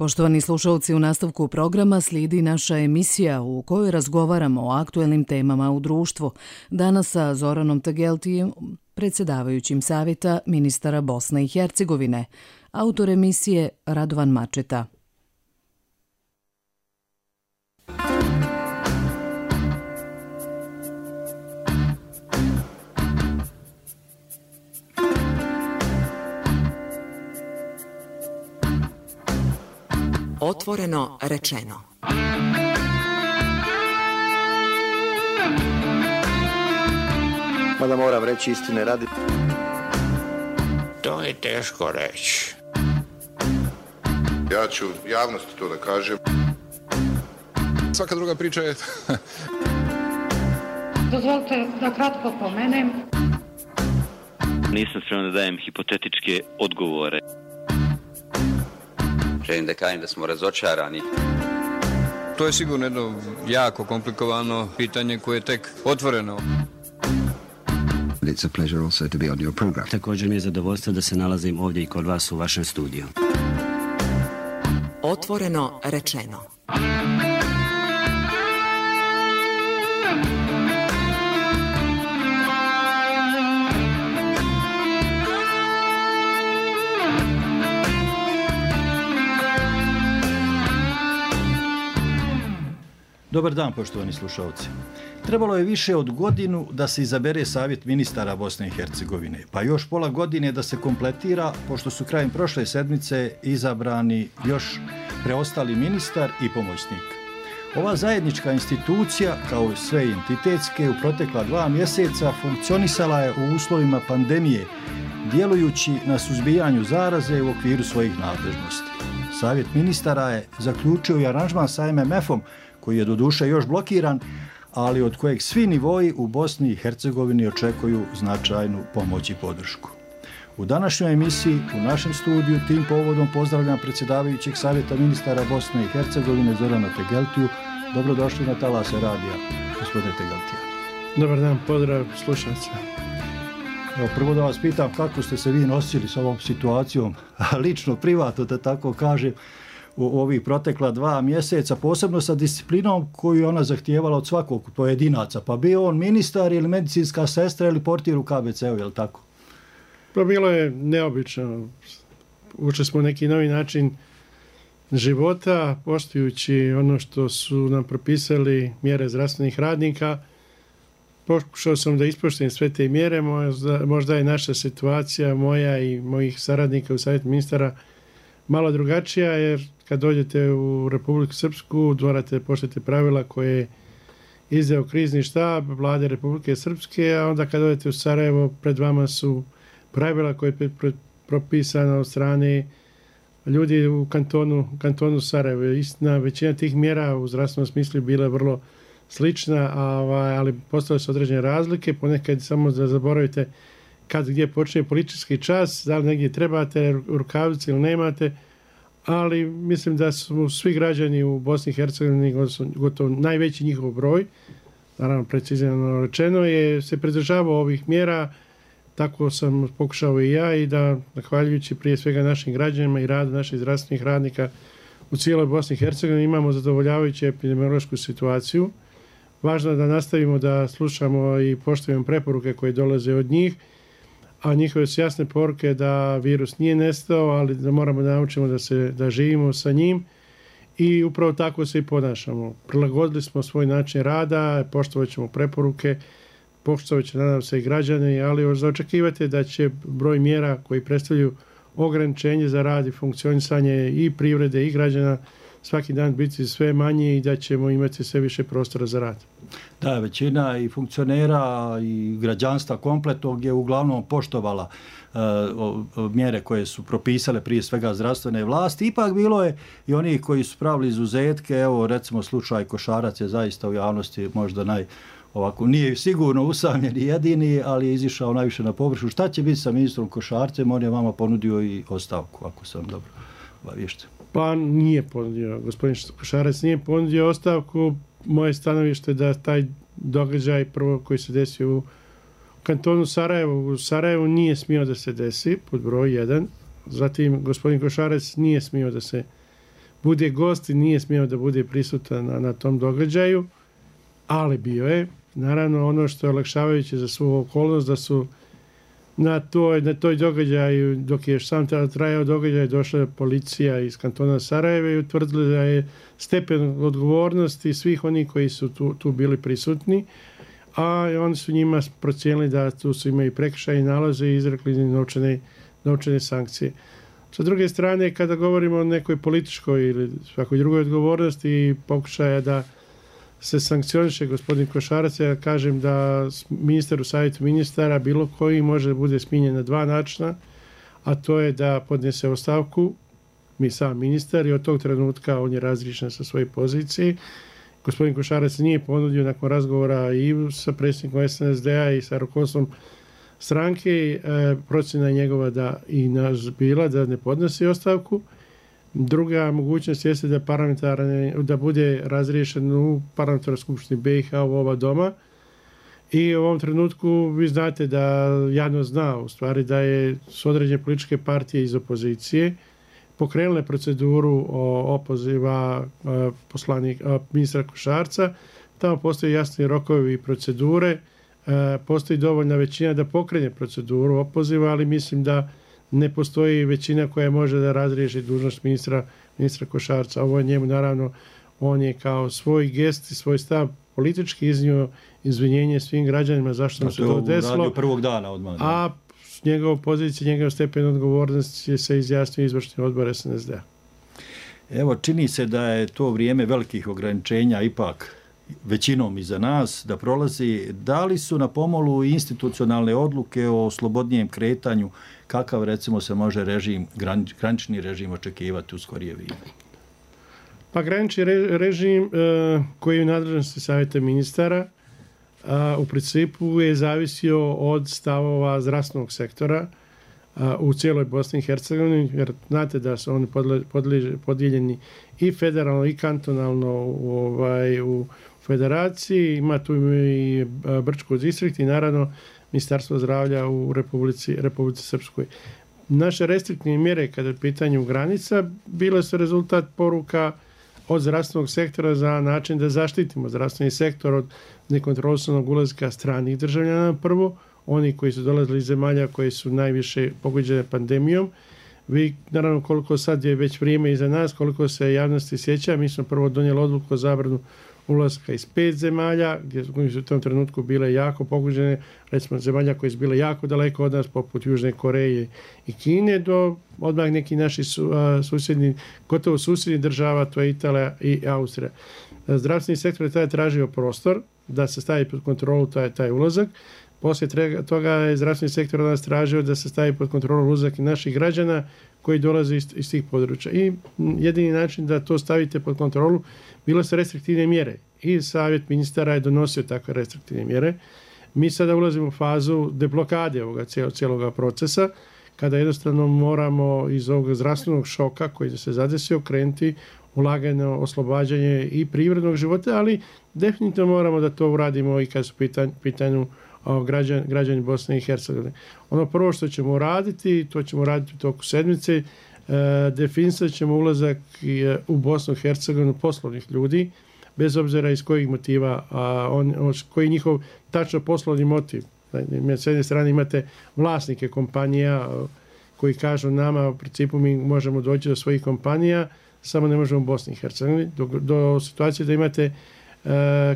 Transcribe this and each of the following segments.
Poštovani slušalci, u nastavku programa slijedi naša emisija u kojoj razgovaramo o aktuelnim temama u društvu. Danas sa Zoranom Tegeltijem, predsjedavajućim savjeta ministara Bosne i Hercegovine. Autor emisije Radovan Mačeta. Otvoreno rečeno. Mada moram reći istine radi. To je teško reći. Ja ću javnosti to da kažem. Svaka druga priča je... Dozvolite da kratko pomenem. Nisam spreman da dajem hipotetičke odgovore. Želim da kažem da smo razočarani. To je sigurno jedno jako komplikovano pitanje koje je tek otvoreno. It's a pleasure also to be on your program. Također mi je zadovoljstvo da se nalazim ovdje i kod vas u vašem studiju. Otvoreno rečeno. Dobar dan, poštovani slušalci. Trebalo je više od godinu da se izabere savjet ministara Bosne i Hercegovine, pa još pola godine da se kompletira, pošto su krajem prošle sedmice izabrani još preostali ministar i pomoćnik. Ova zajednička institucija, kao i sve entitetske, u protekla 2 mjeseca funkcionisala je u uslovima pandemije, djelujući na suzbijanju zaraze u okviru svojih nadležnosti. Savjet ministara je zaključio i aranžman sa MMF-om, koji je doduše još blokiran, ali od kojeg svi nivoji u Bosni i Hercegovini očekuju značajnu pomoć i podršku. U današnjoj emisiji u našem studiju tim povodom pozdravljam predsjedavajućeg savjeta ministara Bosne i Hercegovine Zorana Tegeltiju. Dobrodošli na talase radija, gospodine Tegeltija. Dobar dan, pozdrav slušalca. Prvo da vas pitam kako ste se vi nosili s ovom situacijom, lično, privatno da tako kažem, u ovih protekla 2 mjeseca, posebno sa disciplinom koju je ona zahtijevala od svakog pojedinaca, pa bio on ministar ili medicinska sestra ili portir u KBC-u, je li tako? Pa bilo je neobično. Učili smo neki novi način života, poštujući ono što su nam propisali mjere zdravstvenih radnika. Pokušao sam da ispoštujem sve te mjere, možda je naša situacija, moja i mojih saradnika u savjetu ministara, malo drugačija, jer kad dođete u Republiku Srpsku, morate poštovati pravila koje je izdao krizni štab vlade Republike Srpske, a onda kad dođete u Sarajevo, pred vama su pravila koje je propisana od strane ljudi u kantonu Sarajevo. Istina, većina tih mjera u zdravstvenom smislu bila vrlo slična, ali postale su određene razlike, ponekad samo da zaboravite kad gdje počne politički čas, da li negdje trebate rukavice ili nemate, ali mislim da su svi građani u Bosni i Hercegovini, gotovo najveći njihov broj, naravno precizno rečeno, je se pridržavao ovih mjera, tako sam pokušao i ja, i da, zahvaljujući prije svega našim građanima i radu naših zdravstvenih radnika u cijeloj Bosni i Hercegovini, imamo zadovoljavajuću epidemiološku situaciju. Važno je da nastavimo da slušamo i poštujemo preporuke koje dolaze od njih, a njihove su jasne poruke da virus nije nestao, ali da moramo da naučimo da živimo sa njim, i upravo tako se i ponašamo. Prilagodili smo svoj način rada, poštovat ćemo preporuke, poštovat će, nadam se, i građani, ali za očekivati da će broj mjera koji predstavljaju ograničenje za rad i funkcionisanje i privrede i građana svaki dan biti sve manje i da ćemo imati sve više prostora za rad. Da, većina i funkcionera i građanstva kompletnog je uglavnom poštovala mjere koje su propisale prije svega zdravstvene vlasti. Ipak bilo je i oni koji su pravili izuzetke, evo recimo slučaj Košarac je zaista u javnosti možda ovako, nije sigurno usamljen i jedini, ali je izišao najviše na površu. Šta će biti sa ministrom Košarcem? On je vama ponudio i ostavku, ako sam dobro obaviješten. Pa nije ponudio, gospodin Košarac nije ponudio ostavku. Moje stanovište da taj događaj prvo koji se desio u kantonu Sarajevo, u Sarajevu nije smio da se desi, pod broj 1. Zatim, gospodin Košarac nije smio da se bude gost i nije smio da bude prisutan na tom događaju, ali bio je. Naravno, ono što je olakšavajuće za svu okolnost, da su na toj događaju, dok je sam trajao događaj, došla policija iz kantona Sarajeva i utvrdila da je stepen odgovornosti svih onih koji su tu bili prisutni, a oni su njima procijenili da tu su imaju prekršajne nalaze i izrekli novčane sankcije. Sa druge strane, kada govorimo o nekoj političkoj ili svakoj drugoj odgovornosti i pokušaja da se sankcioniše gospodin Košarac, ja kažem da ministar u savjetu ministara bilo koji može da bude smijenjen na dva načina, a to je da podnese ostavku, mi sam ministar, i od tog trenutka on je razriješen sa svoje pozicije. Gospodin Košarac nije ponudio nakon razgovora i sa predsjednikom SNSD-a i sa rukovodstvom stranke, procjena njegova da i nas bila da ne podnosi ostavku. Druga mogućnost jeste da bude razriješen u parlamentarnoj skupštini BiH u oba doma. I u ovom trenutku vi znate da javnost zna u stvari da je s određene političke partije iz opozicije pokrenule proceduru opoziva ministra Košarca. Tamo postoji jasni rokovi i procedure. Postoji dovoljna većina da pokrene proceduru opoziva, ali mislim da ne postoji većina koja može da razriješi dužnost ministra Košarca. Ovo je njemu, naravno, on je kao svoj gest i svoj stav politički iznio izvinjenje svim građanima zašto mu se to desilo. Radio prvog dana odmah. A njegov pozicija, njegov stepen odgovornosti se izjasnio izvršni odbor SNSD-a. Evo, čini se da je to vrijeme velikih ograničenja ipak većinom iza nas da prolazi. Da li su na pomolu institucionalne odluke o slobodnijem kretanju, kakav recimo se može granični režim očekivati u skorije vrijeme? Pa granični režim koji je u nadležnosti savjeta ministara u principu je zavisio od stavova zdravstvenog sektora u cijeloj Bosni i Hercegovini, jer znate da su oni podijeljeni i federalno i kantonalno u federaciji, ima tu i Brčko distrikt i naravno Ministarstvo zdravlja u Republici Srpskoj. Naše restriktivne mjere kada je pitanju granica bile su rezultat poruka od zdravstvenog sektora za način da zaštitimo zdravstveni sektor od nekontrolisanog ulaska stranih državljana prvo, oni koji su dolazili iz zemalja koji su najviše pogođene pandemijom. Vi, naravno, koliko sad je već vrijeme iza nas, koliko se javnosti sjeća, mi smo prvo donijeli odluku o zabranu ulaska iz 5 zemalja, gdje su u tom trenutku bile jako pogođene, recimo zemalja koje su bile jako daleko od nas, poput Južne Koreje i Kine, do odmah neki naši susjedni, gotovo susjedni država, to je Italija i Austrija. Zdravstveni sektor je tada tražio prostor da se stavi pod kontrolu taj ulazak. Poslije toga je zdravstveni sektor nas tražio da se stavi pod kontrolu ulazak i naših građana koji dolaze iz tih područja. I jedini način da to stavite pod kontrolu bile su restriktivne mjere. I savjet ministara je donosio takve restriktivne mjere. Mi sada ulazimo u fazu deblokade ovoga cijeloga procesa, kada jednostavno moramo iz ovog zdravstvenog šoka koji se zadesio krenuti ulaganje, oslobađanje i privrednog života, ali definitivno moramo da to uradimo i kad su pitanju građani Bosne i Hercegovine. Ono prvo što ćemo raditi, to ćemo raditi u toku sedmice, definisat ćemo ulazak u Bosnu i Hercegovinu poslovnih ljudi, bez obzira iz kojih motiva, koji je njihov tačno poslovni motiv. S jedne strane imate vlasnike kompanija koji kažu nama, u principu mi možemo doći do svojih kompanija, samo ne možemo u Bosni i Hercegovini, do situacije da imate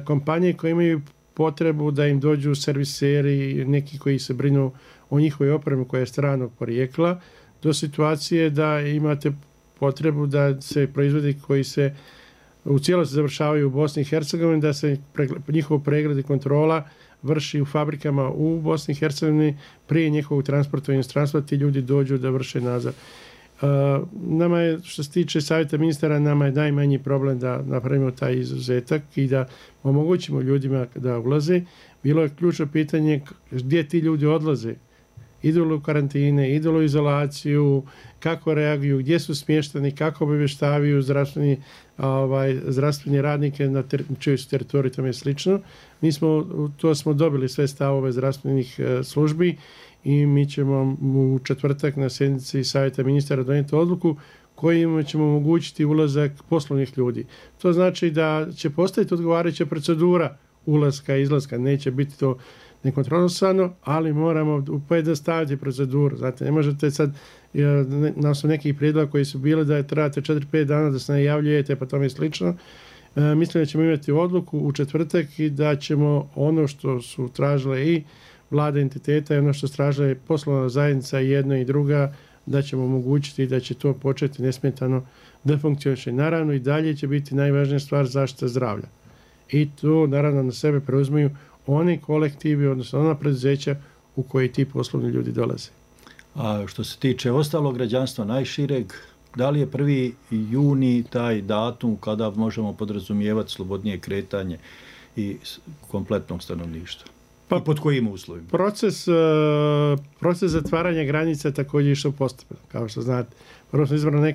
kompanije koje imaju potrebu da im dođu serviseri, neki koji se brinu o njihovoj opremi koja je stranog porijekla, do situacije da imate potrebu da se proizvodi koji se u cijelosti završavaju u Bosni i Hercegovini, da se njihov pregled i kontrola vrši u fabrikama u Bosni i Hercegovini prije njihovog transporta u inostranstvo, ti ljudi dođu da vrše nadzor. Nama je, što se tiče savjeta ministara, nama je najmanji problem da napravimo taj izuzetak i da omogućimo ljudima da ulaze. Bilo je ključno pitanje gdje ti ljudi odlaze. Idu li u karantine, idu li u izolaciju, kako reaguju, gdje su smješteni, kako obavještavaju zdravstveni radnike na čijoj su teritoriji, tome je slično. To smo dobili sve stavove zdravstvenih službi i mi ćemo u četvrtak na sjednici savjeta ministara donijeti odluku kojima ćemo omogućiti ulazak poslovnih ljudi. To znači da će postojati odgovarajuća procedura ulaska i izlaska. Neće biti to nekontrolisano, ali moramo pojednostaviti proceduru. Znate, ne možete sad, na osnovu nekih prijedloga koji su bili da trebate 4-5 dana da se najavljujete, pa tome slično. Mislim da ćemo imati odluku u četvrtak i da ćemo ono što su tražile i vlada entiteta i ono što su tražile poslovna zajednica jedna i druga, da ćemo omogućiti da će to početi nesmetano da funkcioniše. Naravno i dalje će biti najvažnija stvar zaštita zdravlja. I to naravno na sebe preuzimaju oni kolektivi, odnosno ona preduzeća u koji ti poslovni ljudi dolaze. A što se tiče ostalog građanstva najšireg, da li je 1. juni taj datum kada možemo podrazumijevati slobodnije kretanje i kompletnog stanovništva? Pa, i pod kojim uslovima? Proces zatvaranja granica također išao postupno. Kao što znate, prvo smo izbrali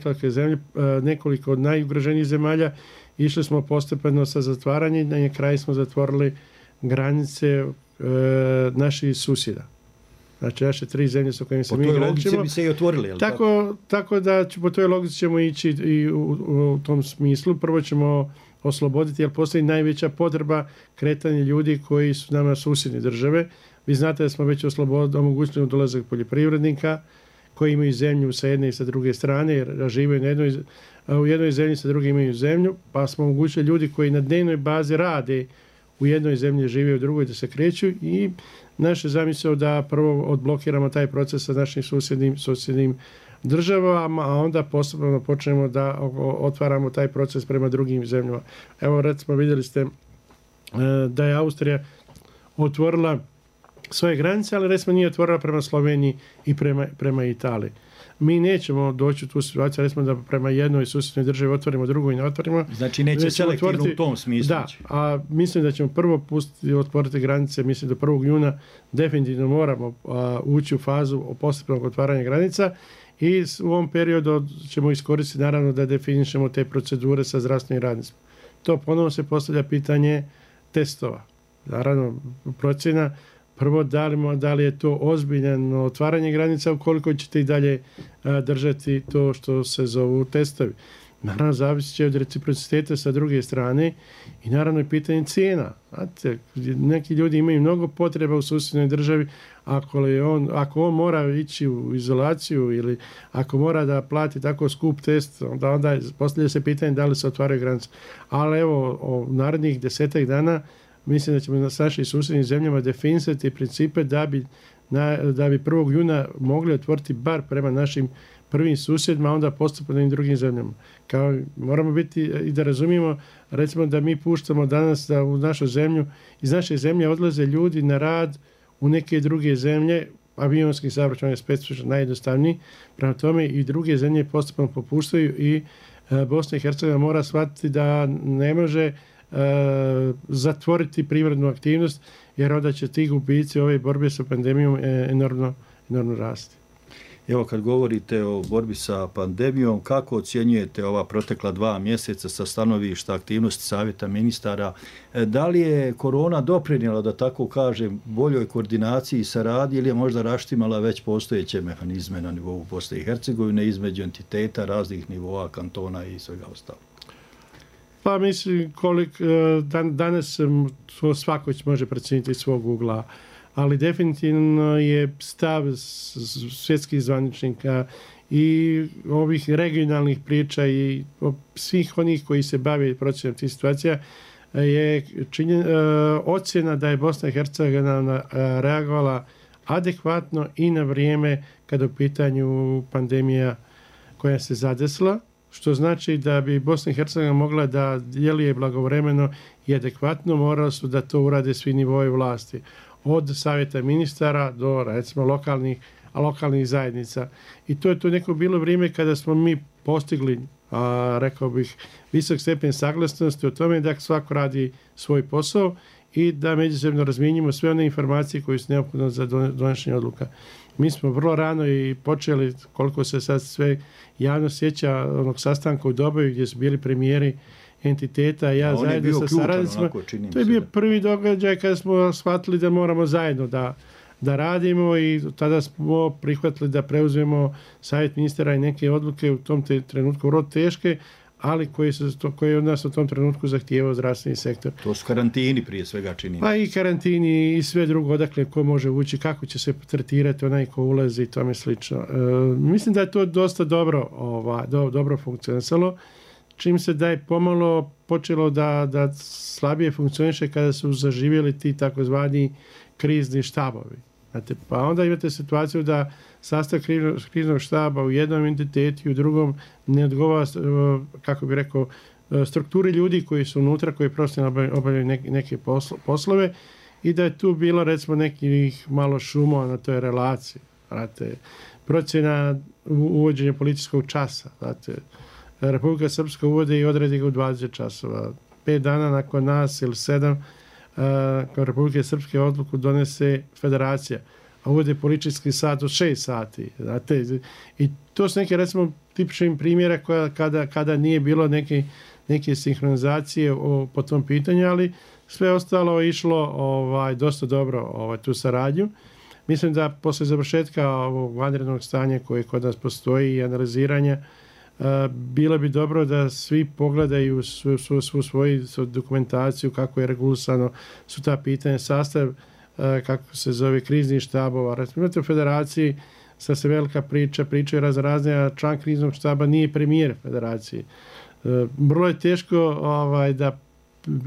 nekoliko od najugroženijih zemalja, išli smo postepeno sa zatvaranjem, na kraju smo zatvorili granice naših susjeda. Znači, naše 3 zemlje sa kojima se mi graničimo. Po toj logici bi se i otvorili, je li tako da po toj logici ćemo ići i u tom smislu. Prvo ćemo osloboditi, jer postoji najveća potreba kretanja ljudi koji su nama susjedne države. Vi znate da smo već omogućili dolazak poljoprivrednika koji imaju zemlju sa jedne i sa druge strane, jer žive u jednoj zemlji, sa druge imaju zemlju, pa smo omogućili ljudi koji na dnevnoj bazi rade u jednoj zemlji, žive u drugoj, da se kreću i naše zamisao da prvo odblokiramo taj proces sa našim susjednim državama, a onda postupno počnemo da otvaramo taj proces prema drugim zemljama. Evo, recimo, vidjeli ste da je Austrija otvorila svoje granice, ali recimo nije otvorila prema Sloveniji i prema Italiji. Mi nećemo doći u tu situaciju, recimo da prema jednoj susjednoj državi otvorimo, drugoj ne otvorimo. Znači neće selektivno u tom smislu. Da, a mislim da ćemo prvo otvoriti granice, mislim da 1. juna definitivno moramo ući u fazu postupnog otvaranja granica i u ovom periodu ćemo iskoristiti naravno da definišemo te procedure sa zdravstvenim radnicima. To ponovno se postavlja pitanje testova. Naravno, procjena prvo, da li je to ozbiljno otvaranje granica, ukoliko ćete i dalje držati to što se zovu testovi. Naravno, zavisit će od reciprociteta sa druge strane i naravno je pitanje cijena. Znate, neki ljudi imaju mnogo potreba u susjednoj državi, ako on mora ići u izolaciju ili ako mora da plati tako skup test, onda postavlja se pitanje da li se otvaraju granice. Ali evo, u narednih 10 dana mislim da ćemo s našim susjednim zemljama definisati principe da bi 1. juna mogli otvoriti bar prema našim prvim susjedima, a onda postupno i drugim zemljama. Moramo biti i da razumijemo, recimo da mi puštamo danas da u našu zemlju, iz naše zemlje odlaze ljudi na rad u neke druge zemlje, avionski saobraćaj je specifično najjednostavniji, prema tome i druge zemlje postupno popuštaju i Bosna i Hercegovina mora shvatiti da ne može zatvoriti privrednu aktivnost, jer onda će ti gubici ove borbe sa pandemijom enormno rasti. Evo, kad govorite o borbi sa pandemijom, kako ocjenjujete ova protekla 2 mjeseca sa stanovišta aktivnosti Savjeta ministara? Da li je korona doprinijela, da tako kažem, boljoj koordinaciji i saradnji ili je možda raštimala već postojeće mehanizme na nivou Bosne i Hercegovine između entiteta raznih nivoa, kantona i svega ostalog? Pa mislim, danas to svako može procijeniti iz svog ugla, ali definitivno je stav svjetskih zvaničnika i ovih regionalnih priča i svih onih koji se bave procjenom tih situacija je ocjena da je Bosna i Hercegovina reagovala adekvatno i na vrijeme kada u pitanju pandemija koja se zadesila, što znači da bi Bosna i Hercegovina mogla da djeluje blagovremeno i adekvatno, morali su da to urade svi nivoji vlasti. Od savjeta ministara do, recimo, lokalnih zajednica. I to je to neko bilo vrijeme kada smo mi postigli, rekao bih, visok stepen saglasnosti o tome da svako radi svoj posao i da međusobno razmijenimo sve one informacije koje su neophodne za donošenje odluka. Mi smo vrlo rano i počeli, koliko se sad sve javno sjeća, onog sastanka u Doboju gdje su bili premijeri entiteta, ja zajedno sa saradnicima. To je bio prvi događaj kada smo shvatili da moramo zajedno da radimo i tada smo prihvatili da preuzmemo savjet ministara i neke odluke u tom trenutku vrlo teške, ali koji od nas u tom trenutku zahtijevao zdravstveni sektor. To su karantini prije svega čini. Pa i karantini i sve drugo, odakle ko može ući, kako će se tretirati onaj ko ulazi i tome slično. Mislim da je to dosta dobro funkcionisalo, čim se da je pomalo počelo da slabije funkcioniše kada su zaživjeli ti takozvani krizni štabovi. Znate, pa onda imate situaciju da sastav kriznog štaba u jednom entitetu i u drugom ne odgovara, kako bi rekao, strukturi ljudi koji su unutra, koji profesionalno obavljaju neke poslove i da je tu bilo recimo nekih malo šumova na toj relaciji. Znate, procjena uvođenja policijskog časa. Znate, Republika Srpska uvode i odredi ga u 20 časova. 5 dana nakon nas ili 7 kao Republike Srpske odluku donese federacija, a uvode policijski sat od 6 sati. Znate, i to su neke, recimo, tipični primjera kada nije bilo neke sinhronizacije po tom pitanju, ali sve ostalo je išlo dosta dobro tu saradnju. Mislim da posle završetka ovog vanrednog stanja koje kod nas postoji i analiziranja, bilo bi dobro da svi pogledaju svu svoju dokumentaciju, kako je regulisano su ta pitanja, sastav, kako se zove, kriznih štabova. Imate u federaciji, sad se velika pričaju razne, a član kriznog štaba nije premijer federacije. Vrlo je teško da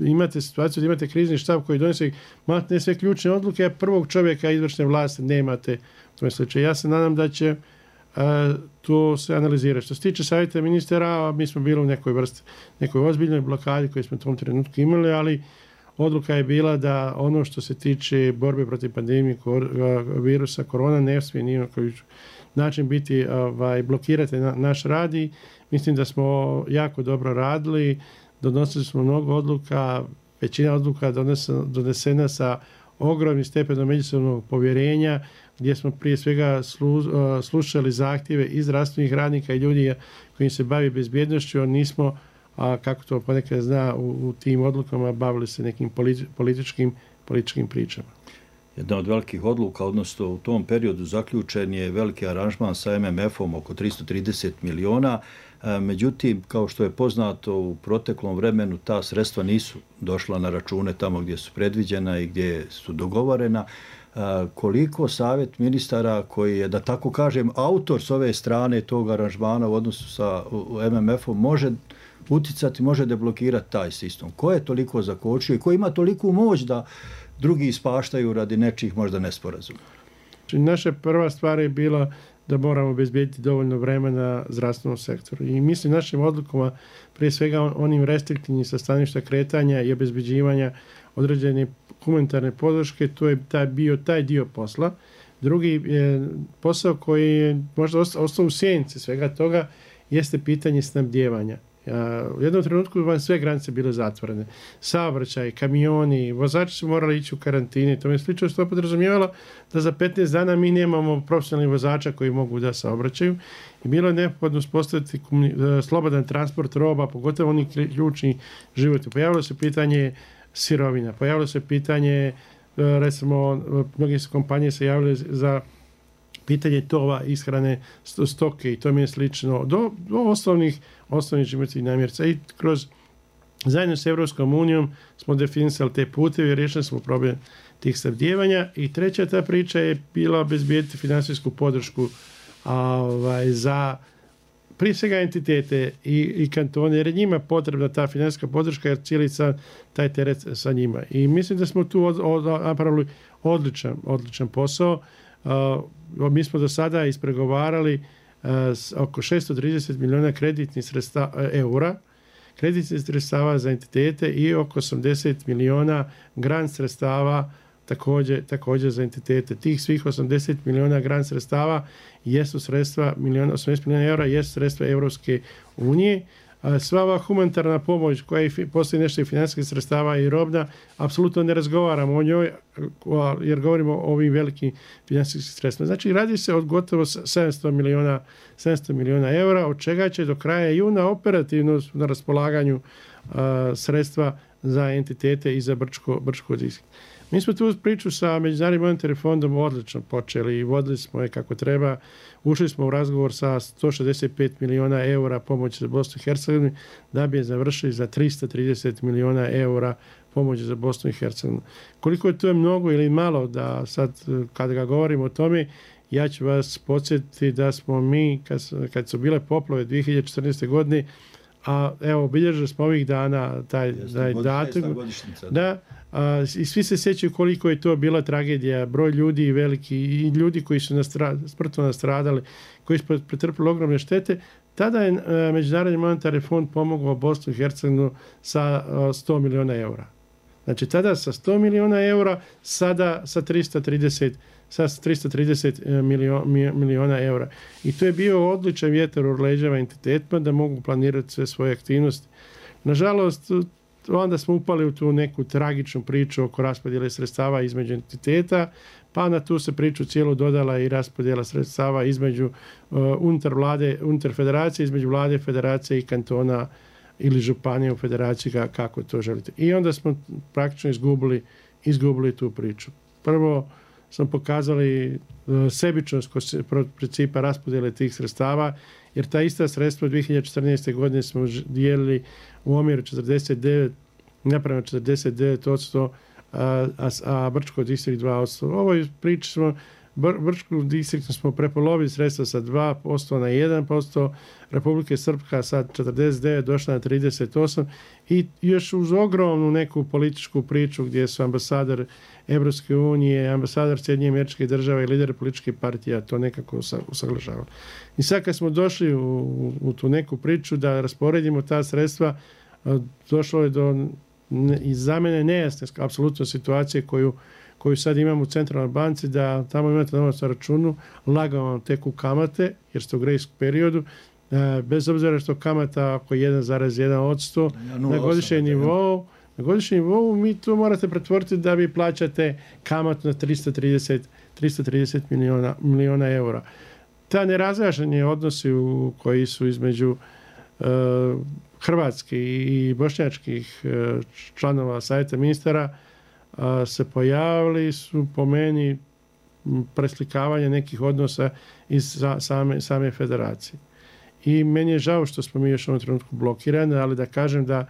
imate situaciju da imate krizni štab koji donese ne sve ključne odluke, a prvog čovjeka izvršne vlasti nemate. Ja se nadam da će to se analizirati. Što se tiče savjeta ministara, mi smo bili u nekoj ozbiljnoj blokadi koju smo u tom trenutku imali, ali odluka je bila da ono što se tiče borbe protiv pandemije virusa korona ne smije ni na koji način biti blokirati naš rad i mislim da smo jako dobro radili, donosili smo mnogo odluka, većina odluka donesena sa ogromnim stepenom međusobnog povjerenja, gdje smo prije svega slušali zahtjeve i zdravstvenih radnika i ljudi koji se bavi bezbjednošću, a nismo, kako to ponekad zna, u tim odlukama bavili se nekim političkim pričama. Jedna od velikih odluka, odnosno u tom periodu zaključen je veliki aranžman sa MMF-om oko 330 miliona. Međutim, kao što je poznato, u proteklom vremenu ta sredstva nisu došla na račune tamo gdje su predviđena i gdje su dogovorena. Koliko savjet ministara koji je, da tako kažem, autor s ove strane tog aranžmana u odnosu sa MMF-om može uticati, može deblokirati taj sistem? Ko je toliko zakočio i ko ima toliku moć da drugi ispaštaju radi nečih možda nesporazuma? Naša prva stvar je bila da moramo obezbijediti dovoljno vremena zdravstvenom sektoru. I mislim našim odlukama, prije svega onim restriktivnim sa staništa kretanja i obezbeđivanja određene humanitarne podrške, to je bio taj dio posla. Drugi posao koji je možda ostao u sjenci svega toga jeste pitanje snabdijevanja. U jednom trenutku vam sve granice bile zatvorene. Saobraćaj, kamioni, vozači su morali ići u karantini. To je slično što podrazumijevalo da za 15 dana mi nemamo profesionalnih vozača koji mogu da saobraćaju. I bilo je neophodno uspostaviti slobodan transport roba, pogotovo oni ključni životi. Pojavilo se pitanje sirovina, pojavilo se pitanje, recimo, mnoge kompanije se javile za pitanje tova, ishrane, stoke i to mi je slično, do osnovnih životnih namirnica. I zajedno s Evropskom unijom smo definisali te puteve i riješili smo problem tih snabdijevanja. I treća ta priča je bila obezbijediti finansijsku podršku za prije svega entitete i kantone, jer je njima potrebna ta finansijska podrška, jer cijeli taj teret sa njima. I mislim da smo tu napravili odličan posao. Mi smo do sada ispregovarali oko 630 miliona kreditnih eura, kreditnih sredstava za entitete i oko 80 miliona grant sredstava također za entitete. Tih svih 80 miliona grant sredstava jesu sredstva, 80 miliona eura jesu sredstva Evropske unije. Sva ova humanitarna pomoć koja postoji nešto i financijskih sredstava i robna, apsolutno ne razgovaramo o njoj jer govorimo o ovim velikim financijskim sredstvima. Znači radi se od gotovo 700 miliona eura, od čega će do kraja juna operativno na raspolaganju sredstva za entitete i za Brčko. Mi smo tu priču sa Međunarodnim monetarnim fondom odlično počeli i vodili smo je kako treba. Ušli smo u razgovor sa 165 miliona eura pomoći za Bosnu i Hercegovinu da bi je završili za 330 miliona eura pomoći za Bosnu i Hercegovinu. Koliko je to mnogo ili malo, da sad kada ga govorimo o tome, ja ću vas podsjetiti da smo mi, kad su bile poplave 2014. godine, a evo, obilježili smo ovih dana taj datum. I svi se sjećaju koliko je to bila tragedija, broj ljudi i veliki, i ljudi koji su smrtno nastradali, koji su pretrpili ogromne štete. Tada je Međunarodni monetarni fond pomogao Bosnu i Hercegovinu sa 100 miliona eura. Znači, tada sa 100 miliona eura, sada sa 330 miliona eura. I to je bio odličan vjetar u leđeva entitetima da mogu planirati sve svoje aktivnosti. Nažalost, onda smo upali u tu neku tragičnu priču oko raspodjele sredstava između entiteta, pa na tu se priču cijelu dodala i raspodjela sredstava između unutar federacije, između vlade, federacije i kantona ili županije u federaciji, kako to želite. I onda smo praktično izgubili tu priču. Prvo smo pokazali sebičnost kod principa raspodjele tih sredstava, jer ta ista sredstva 2014. godine smo dijelili u omjeru 49%, a Brčko distrikt 2%. Ovoj priči smo, Brčko distriktu smo prepolovili sredstva sa 2% na 1%, Republike Srpska sad 49 došla na 38 i još uz ogromnu neku političku priču gdje su ambasador Evropske unije, ambasador Sjedinjenih Američkih Država i lider političkih partija to nekako usaglašavali. I sad kad smo došli u tu neku priču da rasporedimo ta sredstva, došlo je do za mene nejasne apsolutno situacije koju sad imamo u centralnoj banci, da tamo imate novac na računu, lagano vam teku kamate, jer ste u grace periodu, bez obzira što kamata oko 1,1% na godišnjem nivou, mi to morate pretvoriti da vi plaćate kamatu na 330 miliona eura. Ta nerazjašnjeni odnosi koji su između hrvatskih i bošnjačkih članova savjeta ministara se pojavili su po meni preslikavanje nekih odnosa iz same federacije. I meni je žao što smo mi još u ovom trenutku blokirani, ali da kažem da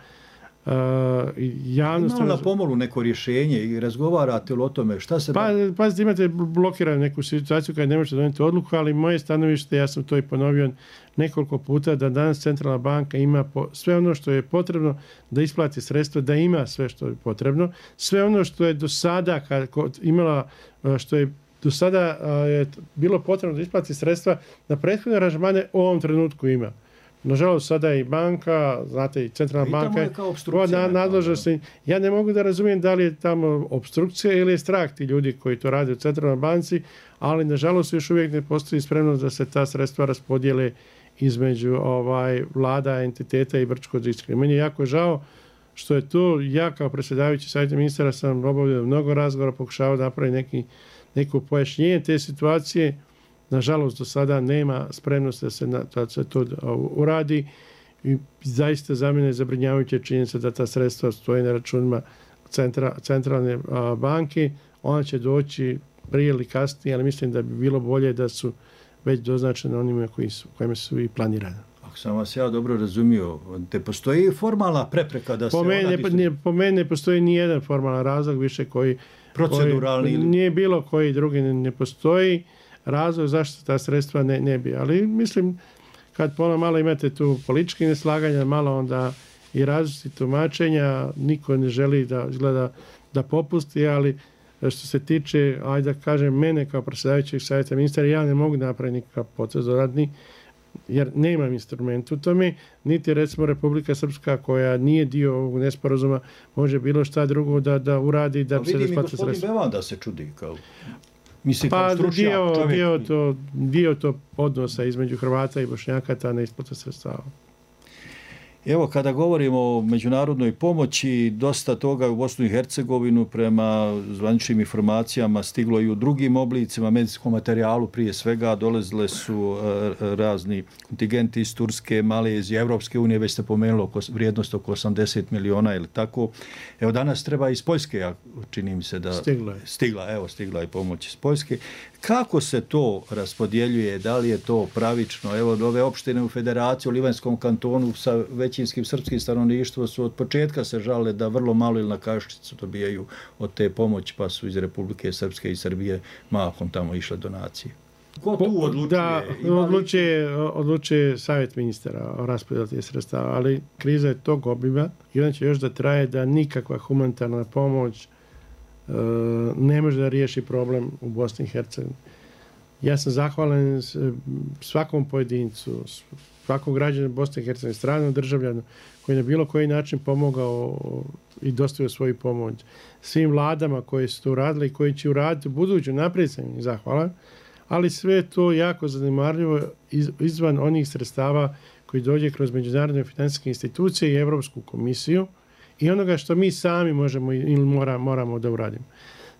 javnost... Imamo na pomolu neko rješenje i razgovarate o tome šta se... Pazite, imate blokiranu neku situaciju kada ne možete donijeti odluku, ali moje stanovište, ja sam to i ponovio nekoliko puta, da danas centralna banka ima sve ono što je potrebno da isplati sredstva, da ima sve što je potrebno. Sve ono što je do sada je bilo potrebno da isplati sredstva na prethodne aranžmane u ovom trenutku ima. Nažalost, sada je i banka, znate, i centralna banka nadležnosti. Ja ne mogu da razumijem da li je tamo obstrukcija ili je strah ti ljudi koji to rade u centralnoj banci, ali nažalost još uvijek ne postoji spremnost da se ta sredstva raspodijele između vlada, entiteta i Brčkog distrikta. Meni je jako žao što je to, ja kao predsjedavajući savjeta ministara sam obavio mnogo razgovora, pokušao da napravi neko pojašnjenje te situacije. Nažalost, do sada nema spremnosti da se to uradi i zaista za mene je zabrinjavajuća činjenica da ta sredstva stoje na računima centralne banke. Ona će doći prije ili kasnije, ali mislim da bi bilo bolje da su već doznačene onima kojima su i planirane. Ako sam vas ja dobro razumio, te postoji formalna prepreka da se... Po meni ne postoji ni jedan formalan razlog više koji... Proceduralni ili... Nije bilo koji drugi ne postoji razlog zašto ta sredstva ne bi. Ali mislim, kad malo imate tu političke neslaganja, malo onda i različite tumačenja, niko ne želi da izgleda da popusti, ali što se tiče, ajde da kažem, mene kao predsjedavajućeg savjeta ministara, ja ne mogu napraviti nikakav potez dodatni, jer nemam instrument u tome, niti recimo Republika Srpska koja nije dio ovog nesporazuma može bilo šta drugo da uradi da se isplati sredstva. Vidim i gospodin Bevan da se čudi kao... Pa dio to odnosa između Hrvata i Bošnjaka ta neisplata sredstava. Evo, kada govorimo o međunarodnoj pomoći, dosta toga u Bosnu i Hercegovinu prema zvaničnim informacijama stiglo i u drugim oblicima, medicinskom materijalu prije svega, dolazile su razni kontingenti iz Turske, Malezije, Evropske unije, već ste pomenuli vrijednost oko 80 miliona ili tako. Evo, danas treba iz Poljske, čini mi se da... Stigla je pomoć iz Poljske. Kako se to raspodjeljuje? Da li je to pravično? Evo, ove opštine u Federaciji, u Livanjskom kantonu sa većinskim srpskim stanovništvom su od početka se žale da vrlo malo ili na kašičicu dobijaju od te pomoći, pa su iz Republike Srpske i Srbije mahom tamo išle donacije. Ko tu odlučuje? Odlučuje savjet ministara o raspodjeli tih sredstava, ali kriza je tog obima i ona će još da traje da nikakva humanitarna pomoć ne može da riješi problem u Bosni i Hercegovini. Ja sam zahvalan svakom pojedincu, svakom građanu Bosne i Hercegovine, stranom državljanu koji na bilo koji način pomogao i dostavio svoju pomoć. Svim vladama koji su to uradili i koji će uraditi u buduću, naprijed sam im zahvalan, ali sve je to jako zanimarljivo izvan onih sredstava koji dođe kroz međunarodne financijske institucije i Evropsku komisiju i onoga što mi sami možemo ili moramo da uradimo.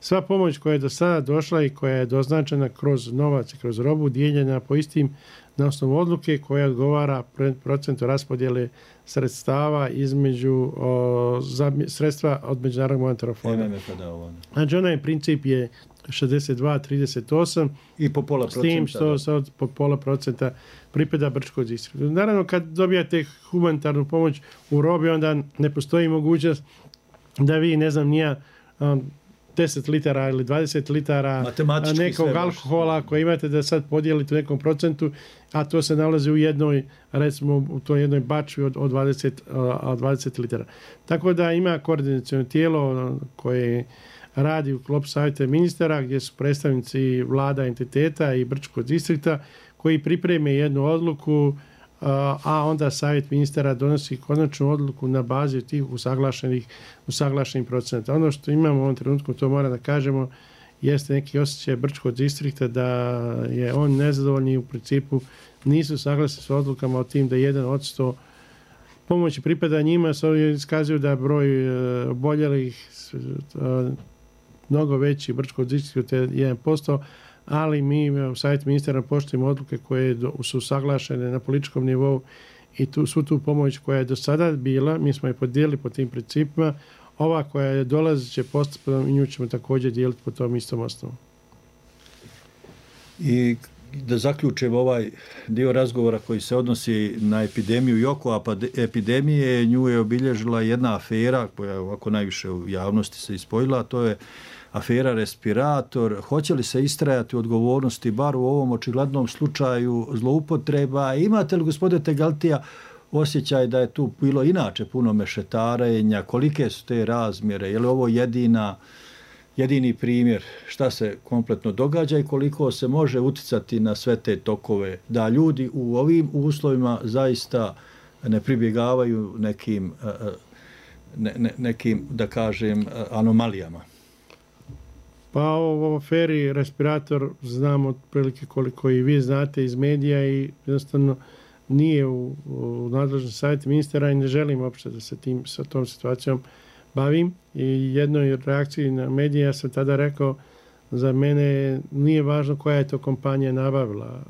Sva pomoć koja je do sada došla i koja je doznačena kroz novac i kroz robu dijeljena po istim na osnovu odluke koja odgovara procentu raspodjele sredstava između sredstva od Međunarodnog monetarnog fonda. Znači onaj princip je 62-38 i po pola s tim što sad po pola procenta pripada Brčkog distriktu. Naravno, kad dobijate humanitarnu pomoć u robi, onda ne postoji mogućnost da vi, ne znam, nija 10 litara ili 20 litara nekog alkohola koje imate da sad podijelite u nekom procentu, a to se nalazi u jednoj, recimo u toj jednoj bačvi od 20 litara. Tako da ima koordinaciono tijelo koje radi u sklopu savjeta ministara gdje su predstavnici vlada entiteta i Brčkog distrikta koji pripreme jednu odluku, a onda savjet ministara donosi konačnu odluku na bazi tih usaglašenih procenta. Ono što imamo u ovom trenutku, to mora da kažemo, jeste neki osjećaj Brčkog distrikta da je on nezadovoljni, u principu nisu saglasni s odlukama o tim da 1% pomoći pripada njima, s ovdje iskazuju da broj oboljelih mnogo veći Brčkog distrikta je 1%, ali mi u savjetu ministara poštujemo odluke koje su usaglašene na političkom nivou i svu tu pomoć koja je do sada bila, mi smo je podijelili po tim principima, ova koja je dolazeće postupno i nju ćemo također dijeliti po tom istom osnovu. I da zaključimo ovaj dio razgovora koji se odnosi na epidemiju i oko epidemije, nju je obilježila jedna afera koja ovako najviše u javnosti se ispojila, a to je afera respirator. Hoće li se istrajati u odgovornosti bar u ovom očiglednom slučaju zloupotreba? Imate li, gospodine Tegeltija, osjećaj da je tu bilo inače puno mešetarenja? Kolike su te razmjere? Je li ovo jedini primjer šta se kompletno događa i koliko se može uticati na sve te tokove, da ljudi u ovim uslovima zaista ne pribjegavaju nekim da kažem, anomalijama? Pa o aferi respirator znamo otprilike koliko i vi znate iz medija i jednostavno nije u nadležnom savjetu ministara i ne želim uopšte da se sa tom situacijom bavim. I jednoj reakciji na medije ja sam tada rekao, za mene nije važno koja je to kompanija nabavila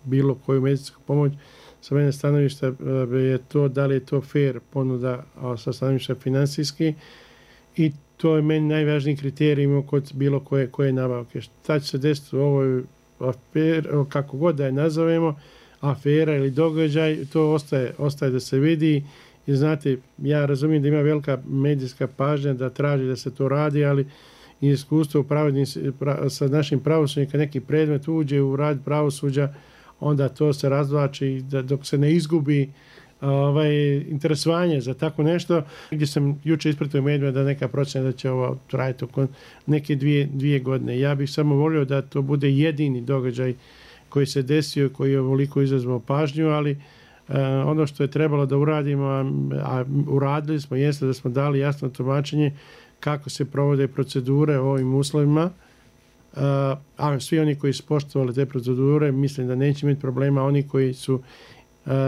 bilo koju medicinsku pomoć. Sa mene stanovišta je to da li je to fair ponuda sa stanovišta finansijski i to je meni najvažniji kriterij kod bilo koje nabavke. Šta će se desiti u ovoj aferi, kako god da je nazovemo, afera ili događaj, to ostaje da se vidi. I znate, ja razumijem da ima velika medijska pažnja da traži da se to radi, ali iskustvo sa našim pravosuđem, kad neki predmet uđe u rad pravosuđa, onda to se razvlači dok se ne izgubi interesovanje za tako nešto. Gdje sam juče ispratio medijima da neka procena da će ovo trajati oko neke dvije godine. Ja bih samo volio da to bude jedini događaj koji se desio, koji je ovoliko izazvao pažnju, ali ono što je trebalo da uradimo, a uradili smo, jeste da smo dali jasno tumačenje kako se provode procedure u ovim uslovima, a svi oni koji su poštovali te procedure, mislim da neće imati problema, oni koji su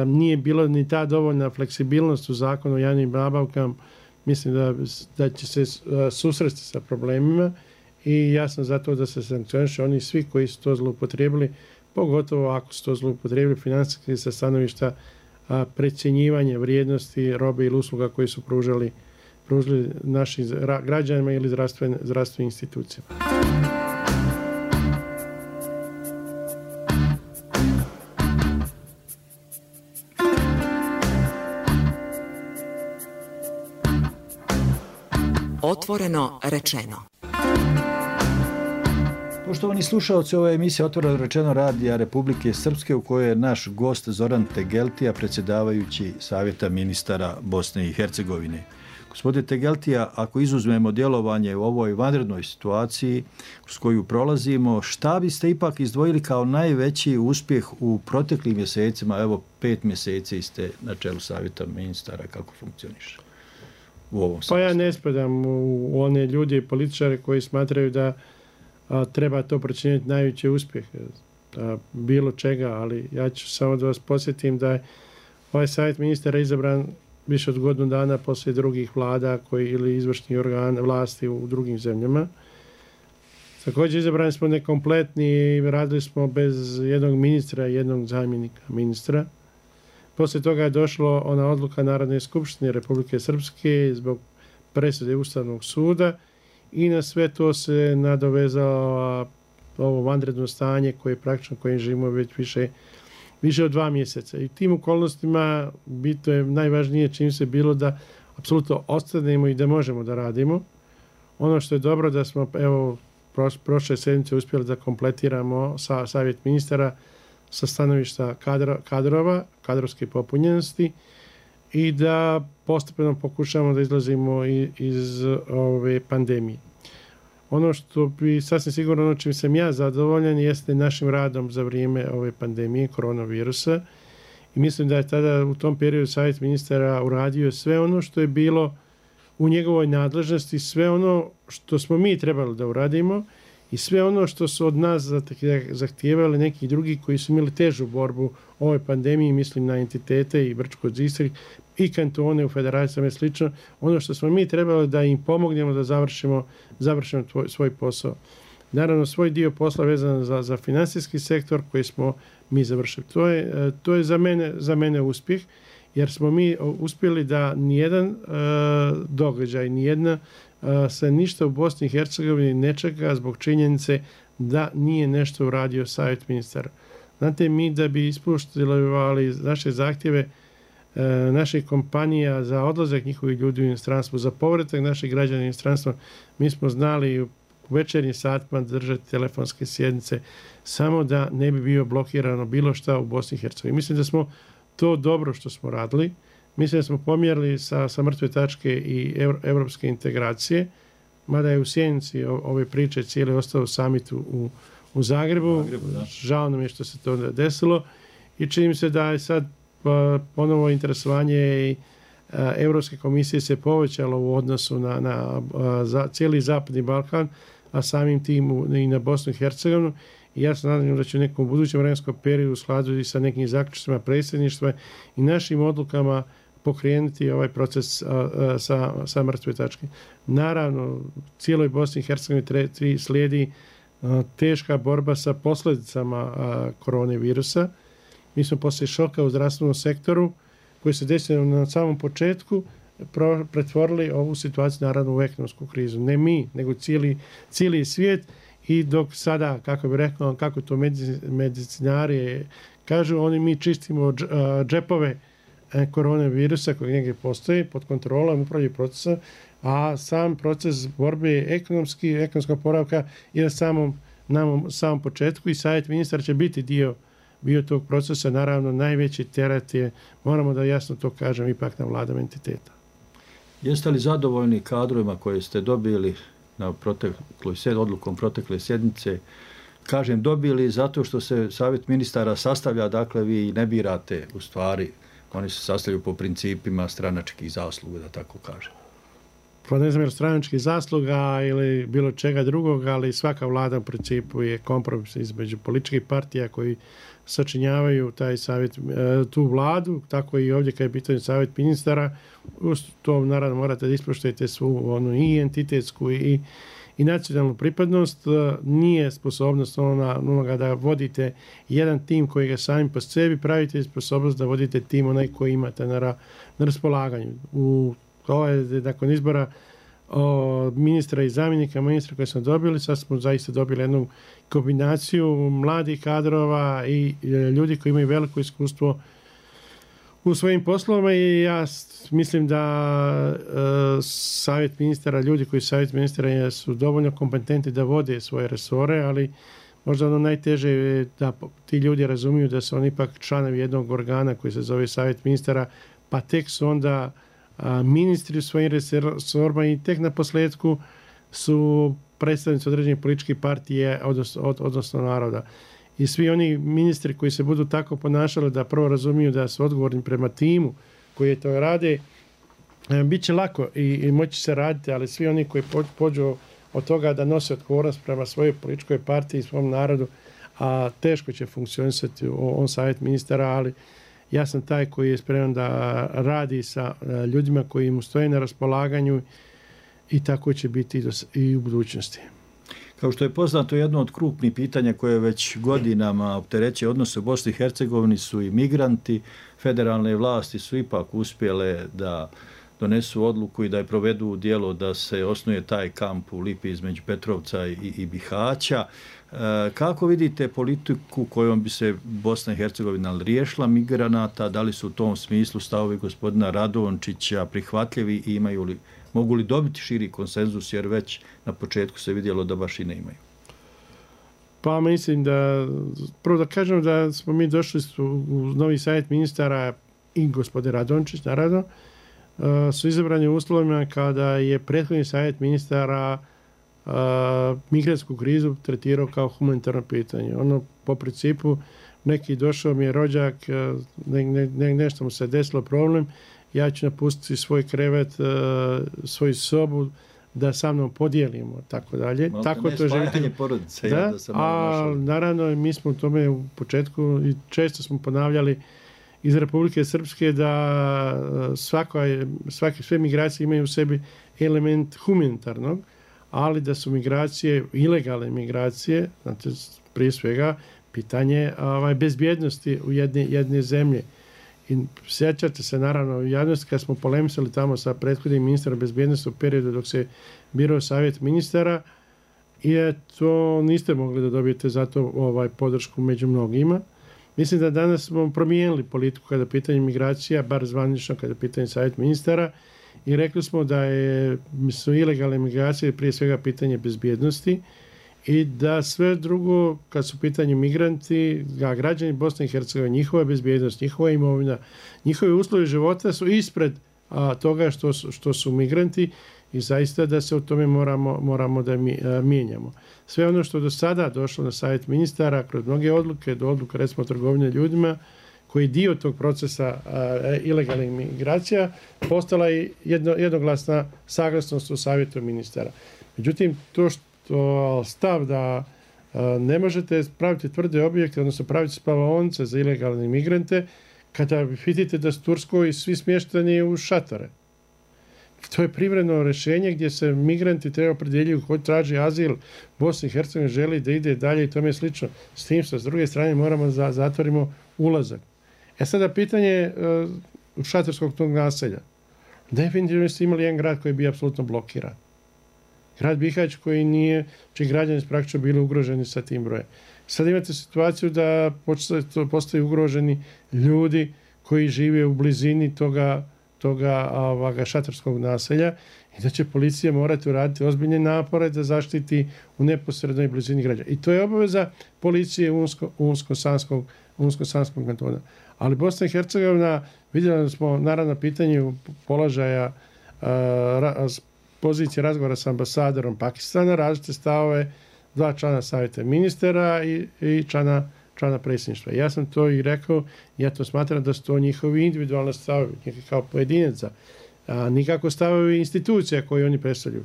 nije bilo ni ta dovoljna fleksibilnost u zakonu o javnim nabavkama. Mislim da će se susresti sa problemima i ja sam za to da se sankcioniše oni svi koji su to zloupotrijebili, pogotovo ako su to zloupotrijebili financijski sa stanovišta precjenjivanja vrijednosti robe ili usluga koji su pružali našim građanima ili zdravstvenim institucijama. Otvoreno rečeno. Poštovani slušalci, ova emisija Otvoreno rečeno radija Republike Srpske u kojoj je naš gost Zoran Tegeltija, predsjedavajući Savjeta ministara Bosne i Hercegovine. Gospodine Tegeltija, ako izuzmemo djelovanje u ovoj vanrednoj situaciji s koju prolazimo, šta biste ipak izdvojili kao najveći uspjeh u proteklim mjesecima? Evo, 5 mjeseci ste na čelu Savjeta ministara, kako funkcioniše u ovom sastavu? Pa ja ne spadam u one ljude i političare koji smatraju da treba to procjenjati najveći uspjeh bilo čega, ali ja ću samo da vas posjetim da je ovaj savjet ministara izabran više od godinu dana poslije drugih vlada ili izvršnih organa vlasti u drugim zemljama. Također izabrani smo nekompletni i radili smo bez jednog ministra i jednog zamjenika ministra. Poslije toga je došlo ona odluka Narodne skupštine Republike Srpske zbog presude Ustavnog suda i na sve to se nadovezalo ovo vanredno stanje koje praktično kojim živimo već više od 2 mjeseca. I tim okolnostima to je najvažnije čim se bilo da apsolutno ostanemo i da možemo da radimo. Ono što je dobro da smo prošle sedmice uspjeli da kompletiramo savjet ministara sa stanovišta kadrova, kadrovske popunjenosti i da postepeno pokušamo da izlazimo iz ove pandemije. Ono što bi sasvim sigurno, ono čim sam ja zadovoljan, jeste našim radom za vrijeme ove pandemije koronavirusa i mislim da je tada u tom periodu savjet ministara uradio sve ono što je bilo u njegovoj nadležnosti, sve ono što smo mi trebali da uradimo i sve ono što su od nas zahtijevali neki drugi koji su imali težu borbu u ovoj pandemiji, mislim na entitete i Brčko-Zistrik i kantone u federacijama i slično, ono što smo mi trebali da im pomognemo da završimo svoj posao. Naravno, svoj dio posla vezan za finansijski sektor koji smo mi završili. To je za mene uspjeh, jer smo mi uspjeli da nijedan događaj, nijedna se ništa u Bosni i Hercegovini ne čeka zbog činjenice da nije nešto uradio savjet ministara. Znate, mi da bi ispoštovali naše zahtjeve naših kompanija za odlazak njihovih ljudi u inostranstvo, za povratak naših građana u inostranstvo, mi smo znali u večernjim satima držati telefonske sjednice samo da ne bi bio blokirano bilo šta u Bosni i Hercegovini. Mislim da smo to dobro što smo radili. Mislim da smo pomjerili sa mrtve tačke i evropske integracije, mada je u sjenici ove priče cijele ostao samitu u Zagrebu. Žao nam je što se to desilo i čini mi se da je sad ponovo interesovanje i Evropske komisije se povećalo u odnosu na cijeli Zapadni Balkan, a samim tim i na Bosnu i Hercegovinu. I ja se nadam da će u nekom budućem vremenskom periodu u skladu i sa nekim zaključcima predsjedništva i našim odlukama pokrenuti ovaj proces sa mrtve tačke. Naravno, cijeloj Bosni i Hercegovini slijedi teška borba sa posljedicama koronavirusa. Mi smo poslije šoka u zdravstvenom sektoru koji se desio na samom početku pretvorili ovu situaciju naravno u ekonomsku krizu. Ne mi, nego cijeli svijet i dok sada, kako bih rekao, kako to medicinari kažu, mi čistimo džepove koronavirusa koji negdje postoji pod kontrolom upravljaju procesa, a sam proces borbe ekonomskog poravka je na samom početku i savjet ministar će biti dio tog procesa. Naravno, najveći teret je, moramo da jasno to kažem, ipak na vladama entiteta. Jeste li zadovoljni kadrovima koje ste dobili na odlukom protekle sjednice? Kažem dobili zato što se savjet ministara sastavlja, dakle vi ne birate u stvari, oni se sastavljaju po principima stranačkih zasluga, da tako kažem. pa ne znam, stranačkih zasluga ili bilo čega drugog, ali svaka vlada u principu je kompromis između političkih partija koji sačinjavaju taj savjet, tu vladu, tako i ovdje kad je pitanje savjet ministara, uz to naravno morate da ispoštujete svu onu i entitetsku i nacionalnu pripadnost. Nije sposobnost onoga da vodite jedan tim koji ga sami po sebi pravite, sposobnost da vodite tim onaj koji imate na raspolaganju. Nakon izbora ministra i zamjenika ministra koje smo dobili, sad smo zaista dobili jednu kombinaciju mladih kadrova i ljudi koji imaju veliko iskustvo u svojim poslovima i ja mislim da savjet ministara, ljudi koji savjet ministara su dovoljno kompetentni da vode svoje resore, ali možda ono najteže je da ti ljudi razumiju da su oni ipak članovi jednog organa koji se zove savjet ministara, pa tek su onda ministri u svojim resorima i tek na posljedku su predstavnici određenih političkih partije, odnosno naroda. I svi oni ministri koji se budu tako ponašali da prvo razumiju da su odgovorni prema timu koji to rade, bit će lako i moći se raditi, ali svi oni koji pođu od toga da nose odgovornost prema svojoj političkoj partiji i svom narodu, a teško će funkcionisati on savjet ministara, ali ja sam taj koji je spreman da radi sa ljudima koji mu stoje na raspolaganju i tako će biti i u budućnosti. Kao što je poznato, jedno od krupnih pitanja koje već godinama opterećuje odnose u Bosni i Hercegovini su i migranti. Federalne vlasti su ipak uspjele da donesu odluku i da je provedu u djelo da se osnuje taj kamp u Lipi između Petrovca i Bihaća. Kako vidite politiku kojom bi se Bosna i Hercegovina riješila migranata? Da li su u tom smislu stavovi gospodina Radončića prihvatljivi i mogu li dobiti širi konsenzus, jer već na početku se vidjelo da baš i ne imaju? Pa mislim da, prvo da kažem da smo mi došli u novi savjet ministara i gospodin Radončić, naravno, su izabrani u uslovima kada je prethodni savjet ministara migrantsku krizu tretirao kao humanitarno pitanje. Ono, po principu, neki došao mi je rođak, nešto mu se desilo problem, ja ću napustiti svoj krevet, svoju sobu, da sa mnom podijelimo, tako dalje. Tako to želite. Porodice, da, a naravno mi smo u tome u početku i često smo ponavljali iz Republike Srpske da sve migracije imaju u sebi element humanitarnog, ali da su migracije, ilegalne migracije, znači prije svega pitanje bezbjednosti u jedne zemlje. I sjećate se naravno u javnosti kad smo polemisali tamo sa prethodnim ministrom bezbjednosti u periodu dok se birao savjet ministara i to niste mogli da dobijete zato podršku među mnogima. Mislim da danas smo promijenili politiku kada je pitanje migracija, bar zvanično kada je pitanje savjet ministara i rekli smo da su ilegalne migracije prije svega pitanje bezbjednosti i da sve drugo, kad su pitanje migranti, građani Bosne i Hercegovine, njihova bezbjednost, njihova imovina, njihovi uslovi života su ispred toga što su migranti i zaista da se o tome moramo da mijenjamo. Sve ono što do sada došlo na savjet ministara, kroz mnoge odluke, do odluka recimo trgovine ljudima, koji je dio tog procesa ilegalnih migracija, postala je jednoglasna saglasnost u savjetu ministara. Međutim, to što stav da ne možete praviti tvrde objekte, odnosno praviti spavaonice za ilegalne migrante, kada vidite da su Turskoj svi smješteni u šatore. To je privremeno rješenje gdje se migranti treba opredjeljuju koji traži azil, Bosna i Hercegovina želi da ide dalje i tome je slično. S tim što s druge strane moramo zatvorimo ulazak. Sada pitanje šatorskog tog naselja. Definitivno ste imali jedan grad koji je bio apsolutno blokiran. Grad Bihać koji nije, čiji građani praktično bili ugroženi sa tim brojem. Sad imate situaciju da postaju ugroženi ljudi koji žive u blizini toga šatorskog naselja i da će policija morati uraditi ozbiljne napore da zaštiti u neposrednoj blizini građana. I to je obaveza policije Unsko-Sanskog kantona. Ali Bosna i Hercegovina, vidjeli smo naravno pitanje položaja pozicije razgovora sa ambasadorom Pakistana, različite stavove, 2 člana savjeta ministara i člana predsjedništva. Ja sam to i rekao, ja to smatram da su to njihovi individualni stavovi, kao pojedinaca. a nikako stavovi institucija koje oni predstavljaju.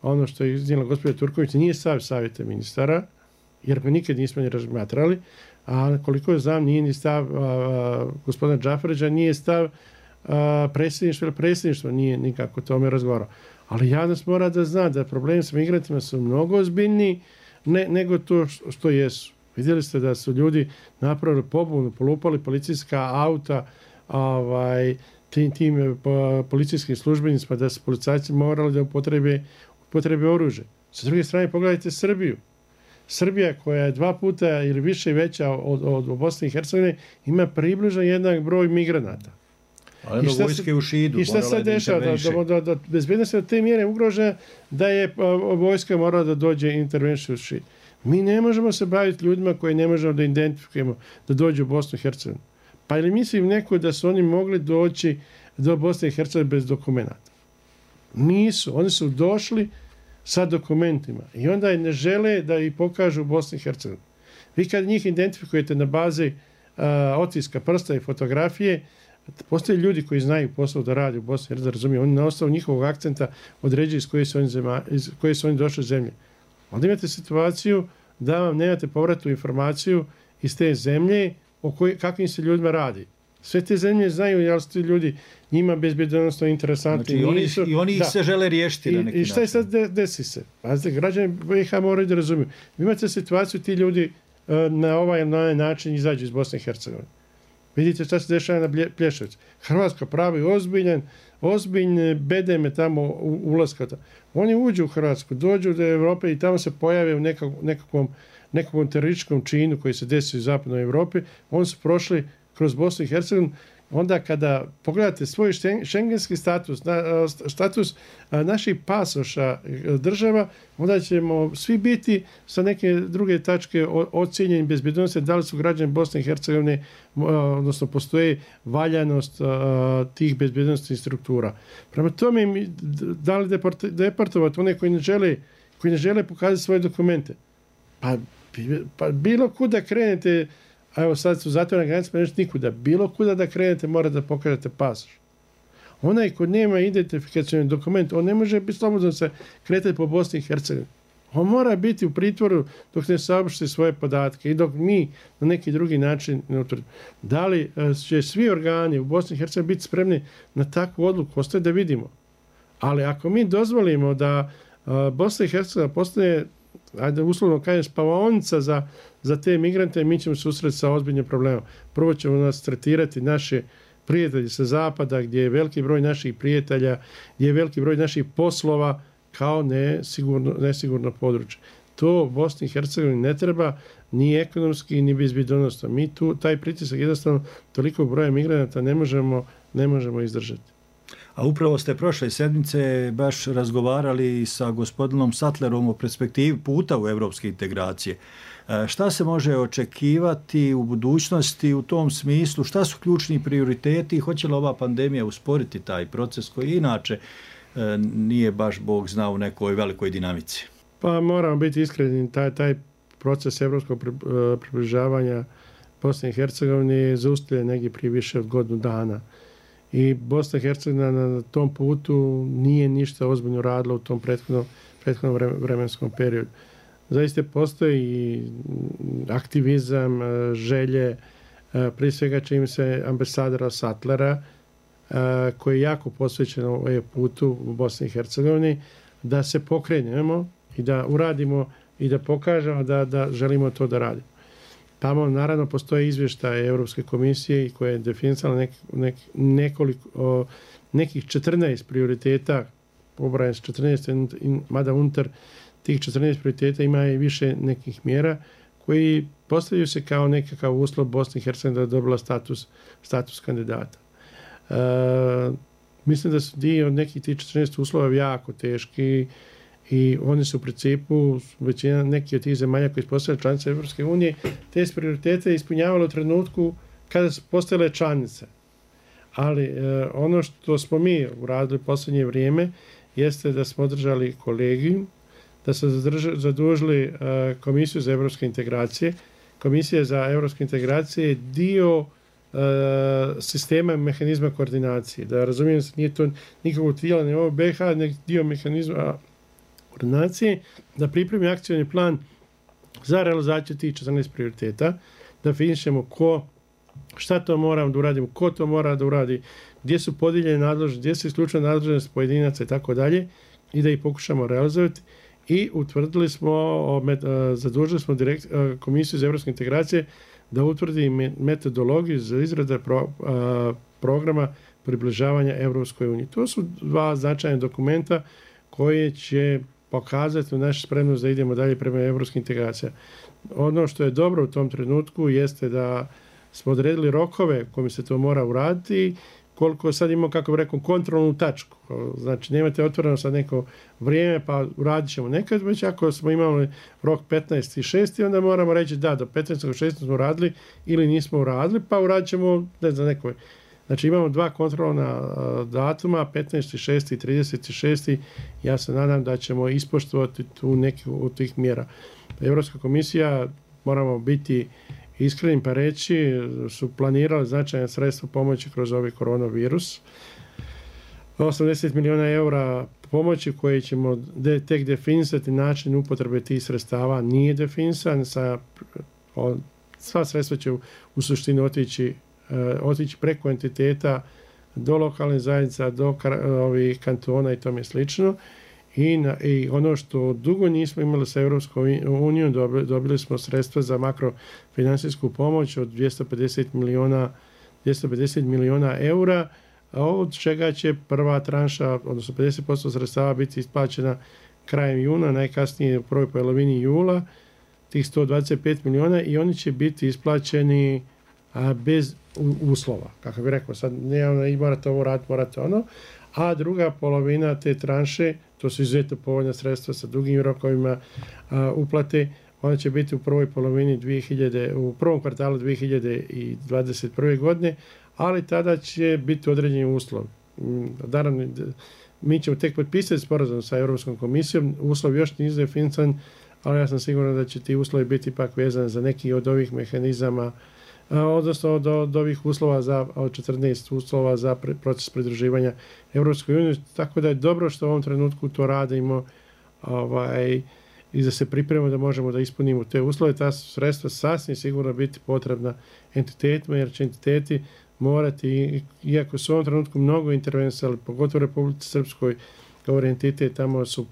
Ono što je iznijela gospođa Turković nije stav savjeta ministara, jer ga nikad nismo ni razmatrali, a koliko znam nije ni stav gospodina Džafarića, nije stav predsjedništva ili predsjedništva nije nikako tome razgovarao. Ali javnost mora da zna da problemi sa migrantima su mnogo ozbiljniji nego to što jesu. Vidjeli ste da su ljudi napravili pobunu, polupali policijska auta tim policijskim službenicima, da su policajci morali da upotrebe oružje. Sa druge strane, pogledajte Srbiju. Srbija, koja je 2 puta ili više veća od Bosne i Hercegovine, ima približno jednak broj migranata. Ali do vojske u Šidu. I šta se dešava? Da bezbednost je od te mjere ugrožena da je vojska morala da dođe i intervencije u Šid. Mi ne možemo se baviti ljudima koje ne možemo da identifikujemo da dođu u Bosnu i Hercegovinu. Pa ili mislim neko da su oni mogli doći do Bosne i Hercegovine bez dokumenta? Nisu. Oni su došli sa dokumentima i onda ne žele da ih pokažu u Bosni i Hercegovini. Vi kad njih identifikujete na bazi otiska prsta i fotografije, postoje ljudi koji znaju posao da radi u Bosni i Hercegovini, razumiju, oni na osnovu njihovog akcenta određuju iz koje su oni došli zemlje. Onda imate situaciju da vam nemate povratnu informaciju iz te zemlje o kakvim se ljudima radi. Sve te zemlje znaju, jel su ti ljudi njima bezbjednosno interesantni. Znači, oni se žele riješiti na neki način. I šta je sad desi se? Pazite, građani BiH moraju da razumiju. Vi imate situaciju, ti ljudi na ovaj način izađu iz Bosne i Hercegovine. Vidite šta se dešava na Plješevicu. Hrvatska pravi ozbiljne bedeme tamo ulaska. Oni uđu u Hrvatsku, dođu do Evrope i tamo se pojave u nekakvom terorističkom činu koji se desi u zapadnoj Evropi. Oni su prošli kroz Bosnu i Hercegovinu. Onda kada pogledate svoj šengenski status naših pasoša država, onda ćemo svi biti sa neke druge tačke ocijenjeni bezbjednosti da li su građani Bosne i Hercegovine, odnosno postoje valjanost tih bezbjednostnih struktura. Prema tome, da li deportovati one koji ne žele pokazati svoje dokumente? Pa bilo kuda krenete, a evo sad su zatvorene granice, pa nešto nikuda. Bilo kuda da krenete, mora da pokažete pasoš. Onaj ko nema identifikacioni dokument, on ne može biti slobodno se kretati po Bosni i Hercegovini. On mora biti u pritvoru dok ne saopšti svoje podatke i dok mi na neki drugi način ne utvrdimo. Da li će svi organi u Bosni i Hercegovini biti spremni na takvu odluku, ostaje da vidimo. Ali ako mi dozvolimo da Bosna i Hercegovina postane, ajde uslovno kažem, spavaonica za te migrante, mi ćemo susreti sa ozbiljnim problemom. Prvo ćemo nas tretirati naše prijatelji sa zapada, gdje je veliki broj naših prijatelja, gdje je veliki broj naših poslova kao nesigurno područje. To Bosni i Hercegovini ne treba ni ekonomski, ni bezbjednosno. Mi tu taj pritisak jednostavno toliko broja migranata ne možemo izdržati. A upravo ste prošle sedmice baš razgovarali sa gospodinom Sattlerom o perspektivi puta u evropske integracije. Šta se može očekivati u budućnosti u tom smislu? Šta su ključni prioriteti? Hoće li ova pandemija usporiti taj proces koji inače nije baš Bog zna u nekoj velikoj dinamici? Pa moramo biti iskreni, taj proces evropskog približavanja Bosne i Hercegovine je zaustavljen negdje prije više od godinu dana. I Bosna i Hercegovina na tom putu nije ništa ozbiljno radila u tom prethodnom vremenskom periodu. Zaista postoji i aktivizam, želje, prije svega čini se ambasadora Sattlera, koji je jako posvećen ovaj putu u Bosni i Hercegovini, da se pokrenemo i da uradimo i da pokažemo da želimo to da radimo. Tamo naravno postoje izvještaje Europske komisije koja je definisala nekih 14 prioriteta, pobrajem s 14, mada unutar tih 14 prioriteta ima i više nekih mjera koji postavljaju se kao nekakav uslov Bosne i Hercegovine da je dobila status kandidata. Mislim da su dio od nekih tih 14 uslova jako teški i oni su u principu, većina neki od tih zemalja koji su postale članice Evropske unije, te prioritete ispunjavale u trenutku kada su postale članice. Ali ono što smo mi uradili posljednje vrijeme jeste da smo održali kolegijum, da smo zadužili Komisiju za evropske integracije. Komisija za evropske integracije je dio sistema i mehanizma koordinacije. Da razumijem se, nije to nikakvog tijela, ne ovo BiH, nek dio mehanizma koordinacije, da pripremi akcioni plan za realizaciju tih 14 prioriteta, da finišemo šta to moramo da uradimo, ko to mora da uradi, gdje su podijeljene nadležnosti, gdje su isključene nadležnosti pojedinaca i tako dalje, i da ih pokušamo realizovati. I utvrdili smo, zadužili smo Komisiju za evropske integracije da utvrdi metodologiju za izradu programa približavanja Evropskoj uniji. To su dva značajna dokumenta koje će pokazati našu spremnost da idemo dalje prema evropskim integracijama. Ono što je dobro u tom trenutku jeste da smo odredili rokove kojim se to mora uraditi, koliko sad imamo, kako bih rekao, kontrolnu tačku. Znači, nemate otvoreno sad neko vrijeme, pa uradit ćemo nekad, već ako smo imali rok 15.6. onda moramo reći da, do 15.6. smo uradili ili nismo uradili, pa uradit ćemo, ne znam, neko. Znači, imamo dva kontrolna datuma, 15.6. i 30.6. Ja se nadam da ćemo ispoštovati tu neki od tih mjera. Evropska komisija, moramo biti iskreni pa reći, su planirali značajna sredstva pomoći kroz ovaj koronavirus. 80 miliona eura pomoći koje ćemo tek definisati, način upotrebe tih sredstava nije definisan. Sva sredstva će u suštini otići preko entiteta do lokalne zajednica, do ovih kantona i tome slično. I ono što dugo nismo imali sa Europskom unijom, dobili smo sredstva za makrofinansijsku pomoć od 250 miliona eura, od čega će prva tranša, odnosno 50% sredstava biti isplaćena krajem juna, najkasnije u prvoj polovini jula, tih 125 miliona, i oni će biti isplaćeni bez uslova. Kako bih rekao, sad ne morate ovo raditi, morate ono, a druga polovina te tranše, to su izuzetno povoljna sredstva sa dugim rokovima uplate, ona će biti u prvoj polovini u prvom kvartalu 2021. godine, ali tada će biti određeni uslovi. Naravno, mi ćemo tek potpisati sporazum sa Europskom komisijom, uslov još nije definisan, ali ja sam siguran da će ti uslovi biti ipak vezani za neki od ovih mehanizama, odnosno od ovih uslova od 14 uslova za proces pridruživanja Evropskoj uniji, tako da je dobro što u ovom trenutku to radimo i da se pripremimo da možemo da ispunimo te uslove. Ta sredstva sasvim sigurno biti potrebna entitetima, jer će entiteti morati, iako su u ovom trenutku mnogo intervenisali, pogotovo u Republici Srpskoj, govori entitet, tamo su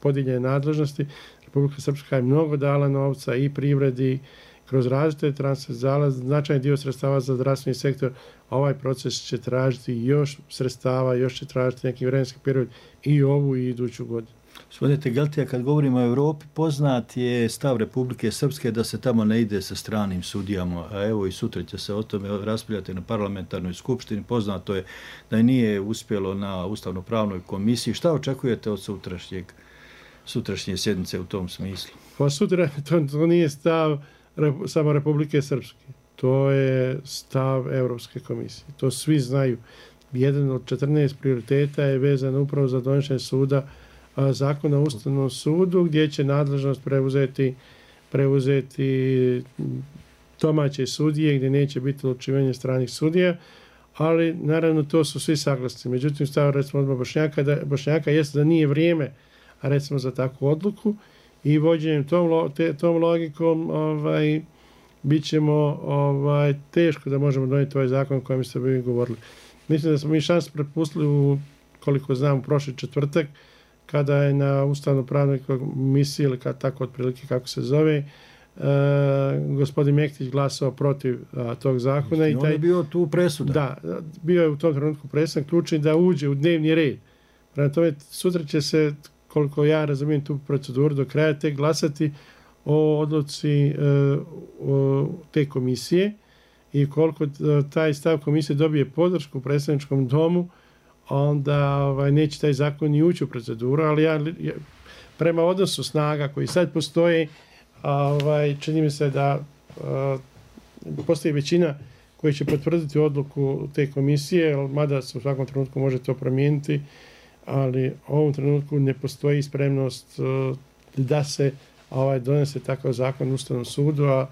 podijeljene nadležnosti, Republika Srpska je mnogo dala novca i privredi, kroz različite transverzale, značajni dio sredstava za zdravstveni sektor, ovaj proces će tražiti još sredstava, još će tražiti neki vremenski period i ovu i iduću godinu. Gospodine Tegeltija, kad govorimo o Evropi, poznat je stav Republike Srpske da se tamo ne ide sa stranim sudijama, a evo i sutra će se o tome raspravljati na parlamentarnoj skupštini. Poznato je da nije uspjelo na Ustavno-pravnoj komisiji. Šta očekujete od sutrašnje sjednice u tom smislu? Pa sutra to nije stav samo Republike Srpske. To je stav Evropske komisije. To svi znaju. Jedan od 14 prioriteta je vezan upravo za donošenje zakona o Ustavnom sudu, gdje će nadležnost preuzeti domaće sudije, gdje neće biti odlučivanje stranih sudija, ali naravno to su svi saglasni. Međutim, stav recimo odbora Bošnjaka jeste da nije vrijeme recimo za takvu odluku, i vođenjem tom logikom bit ćemo teško da možemo donijeti ovaj zakon o kojem ste vi govorili. Mislim da smo mi šans prepustili, koliko znam, u prošli četvrtak, kada je na Ustavno-pravnoj komisiji, ili tako otprilike kako se zove, gospodin Mektić glasao protiv tog zakona. I on je bio tu presudan. Da, bio je u tom trenutku presudan, ključni da uđe u dnevni red. Prema tome, sutra će se, koliko ja razumijem tu proceduru, do kraja tek glasati o odluci te komisije, i koliko taj stav komisije dobije podršku u predstavničkom domu, onda neće taj zakon ni ući u proceduru, ali prema odnosu snaga koji sad postoji, čini mi se da postoji većina koji će potvrditi odluku te komisije, mada se u svakom trenutku može to promijeniti, ali u ovom trenutku ne postoji spremnost da se donese takav zakon u Ustavnom sudu, a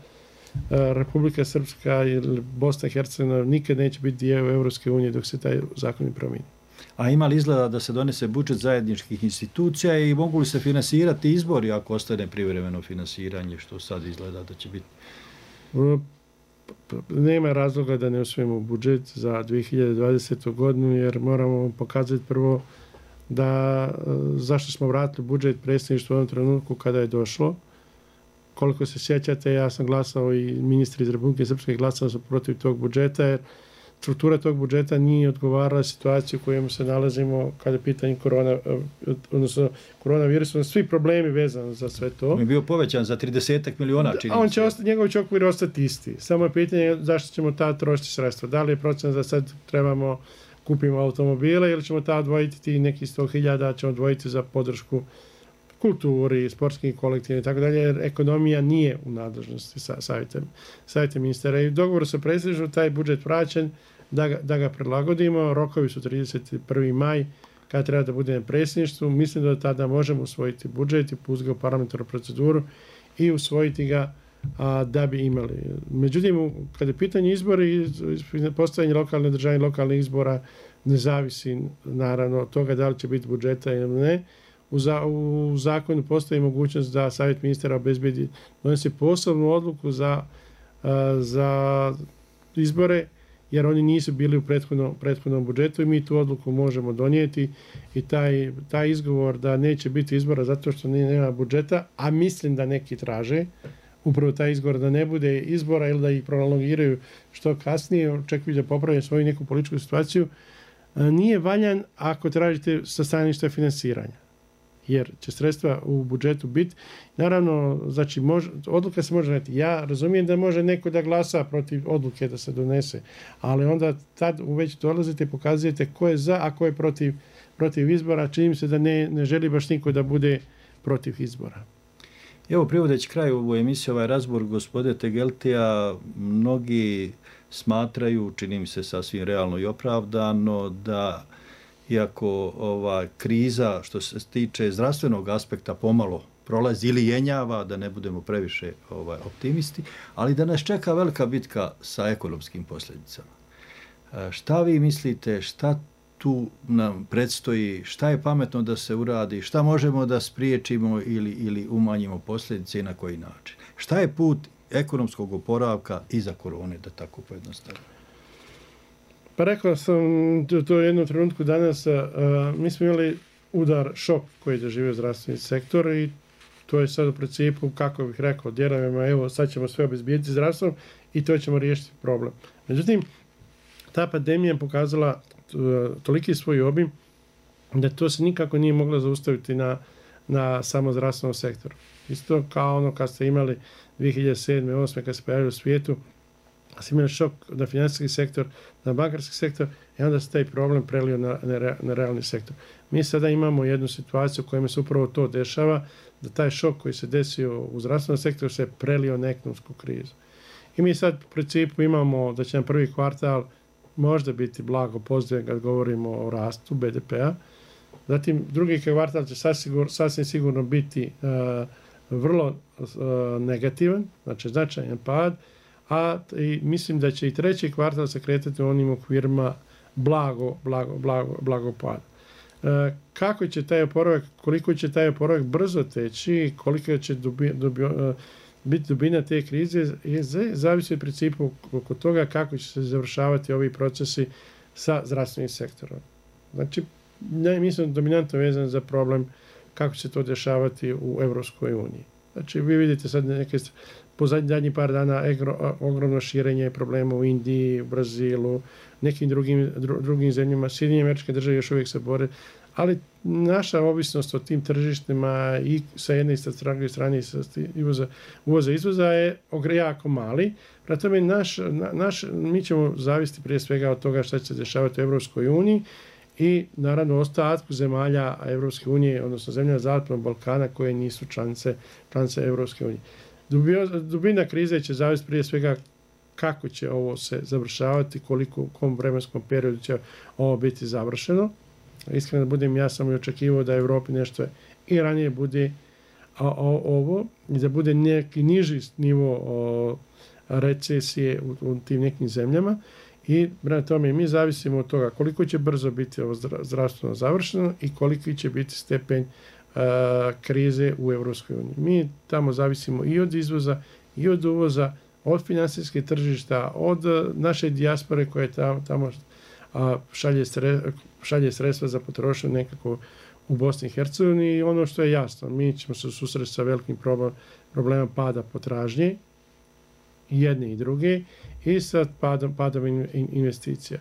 Republika Srpska ili Bosna i Hercegovina nikad neće biti dio Evropske unije dok se taj zakon ne promijeni. A ima li izgleda da se donese budžet zajedničkih institucija i mogu li se finansirati izbori ako ostane privremeno finansiranje, što sad izgleda da će biti? Nema razloga da ne usvojimo budžet za 2020. godinu, jer moramo pokazati prvo da zašto smo vratili budžet predsjedništvu u ovom trenutku kada je došlo. Koliko se sjećate, ja sam glasao i ministri iz Republike Srpske glasali su protiv tog budžeta, jer struktura tog budžeta nije odgovarala situaciju u kojoj se nalazimo kada je pitanje koronavirusa, svi problemi vezani za sve to. On je bio povećan za 30 miliona, čini se. Njegov će okvir ostati isti. Samo je pitanje zašto ćemo tad trošiti sredstva. Da li je procent da sad trebamo kupimo automobile ili ćemo tad odvojiti ti neki 100.000, ćemo odvojiti za podršku kulturi, sportskim kolektivima i tako dalje, jer ekonomija nije u nadležnosti savjeta ministara. I u dogovoru sa predsjedništvom taj budžet vraćen da ga prilagodimo. Rokovi su 31. maj kada treba da bude na predsjedništvu. Mislim da tada možemo usvojiti budžet i pustiti ga u parlamentarnu proceduru i usvojiti ga da bi imali. Međutim, kada je pitanje izbori, postavljanje lokalne države i lokalnih izbora ne zavisi naravno od toga da li će biti budžeta ili ne. U zakonu postoji mogućnost da savjet ministara obezbedi donese posebnu odluku za izbore, jer oni nisu bili u prethodnom budžetu i mi tu odluku možemo donijeti i taj izgovor da neće biti izbora zato što nema budžeta, a mislim da neki traže upravo taj izgovor da ne bude izbora ili da ih prolongiraju što kasnije, očekuju da popravljaju svoju neku političku situaciju, nije valjan ako tražite sa stanovišta finansiranja. Jer će sredstva u budžetu biti. Naravno, znači, odluka se može doneti. Ja razumijem da može neko da glasa protiv odluke da se donese, ali onda tad već dolazite i pokazujete ko je za, a ko je protiv izbora. Čini mi se da ne želi baš niko da bude protiv izbora. Evo, privodeći kraju ovu emisiju, ovaj razbor gospode Tegeltija, mnogi smatraju, čini mi se sasvim realno i opravdano, da iako kriza što se tiče zdravstvenog aspekta pomalo prolazi ili jenjava, da ne budemo previše optimisti, ali da nas čeka velika bitka sa ekonomskim posljedicama. Šta vi mislite, šta tu nam predstoji, šta je pametno da se uradi, šta možemo da spriječimo ili umanjimo posljedice i na koji način? Šta je put ekonomskog oporavka iza korone, da tako pojednostavimo? Pa rekao sam to u jednom trenutku danas, mi smo imali šok koji je doživio zdravstveni sektor i to je sad u principu, kako bih rekao, djelovima, evo sad ćemo sve obezbijediti zdravstvom i to ćemo riješiti problem. Međutim, ta pandemija je pokazala toliki svoj obim da to se nikako nije moglo zaustaviti na samo zdravstvenom sektoru. Isto kao ono kad ste imali 2007-2008 kad se pojavili u svijetu, se imali šok na financijski sektor, na bankarski sektor i onda se taj problem prelio na realni sektor. Mi sada imamo jednu situaciju u kojoj se upravo to dešava, da taj šok koji se desio u zdravstvenom sektoru se prelio na ekonomsku krizu. I mi sad u principu imamo da će nam prvi kvartal možda biti blago pozitivan kad govorimo o rastu BDP-a. Zatim drugi kvartal će sasvim sigurno biti vrlo negativan, znači značajan pad, i mislim da će i treći kvartal se kretati u onim okvirima blago pada. Kako će taj oporavak, koliko će taj oporavak brzo teći, koliko će biti dubina te krize, zavisi u principu oko toga kako će se završavati ovi procesi sa zdravstvenim sektorom. Znači, mislim dominantno vezan za problem kako će se to dešavati u Evropskoj uniji. Znači, vi vidite sad po zadnjih par dana ogromno širenje problema u Indiji, u Brazilu, nekim drugim zemljama. Sjedinjene Američke Države još uvijek se bore, ali naša ovisnost o tim tržištima i sa jedne i sa druge strane uvoza i izvoza je jako mali. Prema tome, mi ćemo zavisiti prije svega od toga šta će se dešavati u Evropskoj uniji i naravno ostatku zemalja Evropske unije, odnosno zemlja Zapadnog Balkana koje nisu članice Evropske unije. Dubina krize će zavisiti prije svega kako će ovo se završavati, u kom vremenskom periodu će ovo biti završeno. Iskreno da budem, ja sam i očekivao da Evropi nešto i ranije bude ovo i da bude neki niži nivo recesije u tim nekim zemljama i prema tome mi zavisimo od toga koliko će brzo biti ovo zdravstveno završeno i koliki će biti stepen krize u Evropskoj uniji. Mi tamo zavisimo i od izvoza i od uvoza, od finansijskih tržišta, od naše dijaspore koje tamo šalje sredstva za potrošnju nekako u Bosni i Hercegovini i ono što je jasno, mi ćemo se susreti sa velikim problemom pada potražnje, jedne i druge, i sa padom investicija.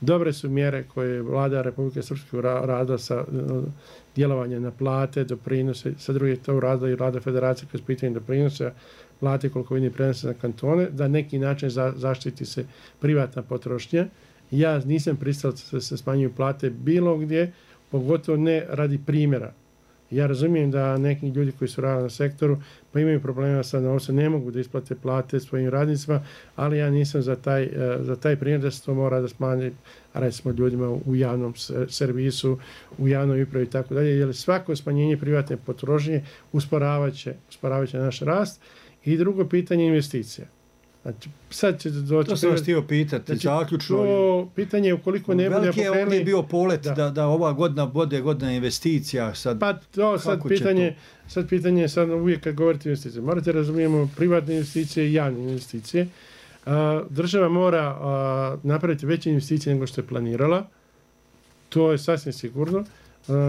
Dobre su mjere koje je vlada Republike Srpske radila sa djelovanje na plate, doprinose, sa druge to radila i vlada federacije kroz pitanje doprinose, plate koliko vidim prenose na kantone, da neki način zaštiti se privatna potrošnja. Ja nisam pristao da se smanjuju plate bilo gdje, pogotovo ne radi primjera. Ja razumijem da neki ljudi koji su radili na sektoru pa imaju problema sa novcem, ne mogu da isplate plate svojim radnicima, ali ja nisam za taj primjer da se to mora da smanji, recimo ljudima u javnom servisu, u javnoj upravi i tako dalje, jer svako smanjenje privatne potrošnje usporavat će naš rast. I drugo pitanje investicija. Znači, sad će doći... To sam vas htio pitati, znači, zaključno... To pitanje je ukoliko ne bude pokrenuli... Veliki je ovdje bio polet da ova godina bude godina investicija. Sad pitanje je uvijek kad govorite investicije. Morate razumijemo privatne investicije i javne investicije. Država mora napraviti veće investicije nego što je planirala. To je sasvim sigurno.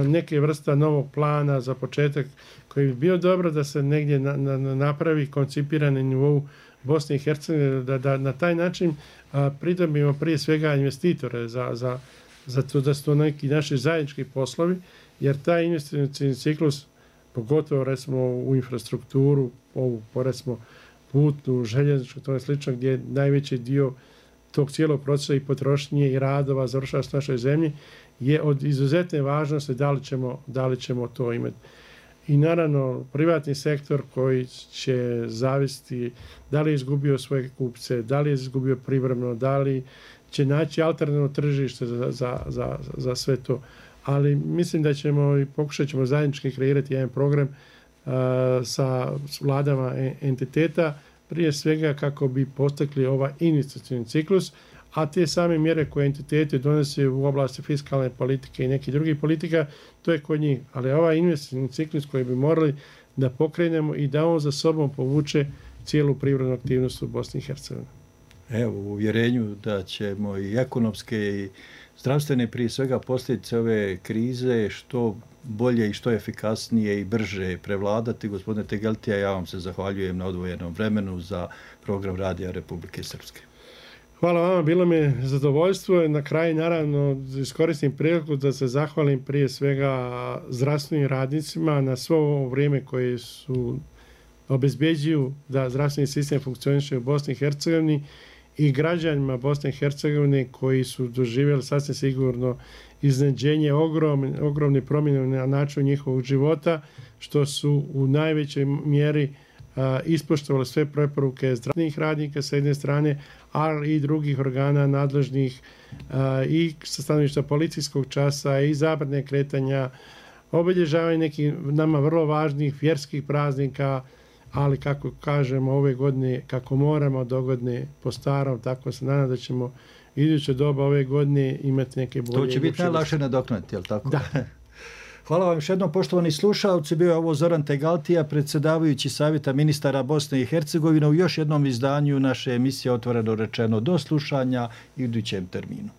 Neke vrsta novog plana za početak koji bi bio dobro da se negdje napravi koncipirani na nivou Bosne i Hercegovine, da na taj način pridobimo prije svega investitore za to da su to neki naši zajednički poslovi, jer taj investicijni ciklus, pogotovo recimo u infrastrukturu, ovu recimo putnu, željezničku, to je slično, gdje je najveći dio tog cijelog procesa i potrošnje i radova završava s našoj zemlji, je od izuzetne važnosti da li ćemo to imati. I naravno privatni sektor koji će zavisiti da li je izgubio svoje kupce, da li je izgubio privremeno, da li će naći alternativno tržište za sve to. Ali mislim da ćemo i pokušat ćemo zajednički kreirati jedan program sa vladama entiteta, prije svega kako bi postakli ovaj investicijni ciklus, a te same mjere koje entiteti donose u oblasti fiskalne politike i nekih drugih politika, to je kod njih. Ali ovaj investicijni ciklus koji bi morali da pokrenemo i da on za sobom povuče cijelu privrednu aktivnost u Bosni i Hercegovini. Evo, u uvjerenju da ćemo i ekonomske i zdravstvene prije svega posljedice ove krize što bolje i što efikasnije i brže prevladati. Gospodine Tegeltija, ja vam se zahvaljujem na odvojenom vremenu za program Radija Republike Srpske. Hvala vama, bilo mi je zadovoljstvo. Na kraju, naravno, iskoristim priliku da se zahvalim prije svega zdravstvenim radnicima na svo ovo vrijeme koje su obezbeđuju da zdravstveni sistem funkcioniše u Bosni i Hercegovini i građanima Bosne i Hercegovine koji su doživjeli sasvim sigurno iznenađenje, ogromne promjene na način njihovog života, što su u najvećoj mjeri ispoštovali sve preporuke zdravstvenih radnika sa jedne strane, ali i drugih organa nadležnih i sa stanovišta policijskog časa i zabrane kretanja, obilježavanje nekih nama vrlo važnih vjerskih praznika, ali kako kažemo ove godine, kako moramo dogodne po starom, tako se nadam da ćemo iduće doba ove godine imati neke bolje. To će biti najlakše nadoknaditi, je li tako? Da. Hvala vam još jednom, poštovani slušalci. Bio je ovo Zoran Tegaltija, predsjedavajući Savjeta ministara Bosne i Hercegovine u još jednom izdanju naše emisije Otvoreno rečeno. Do slušanja i u idućem terminu.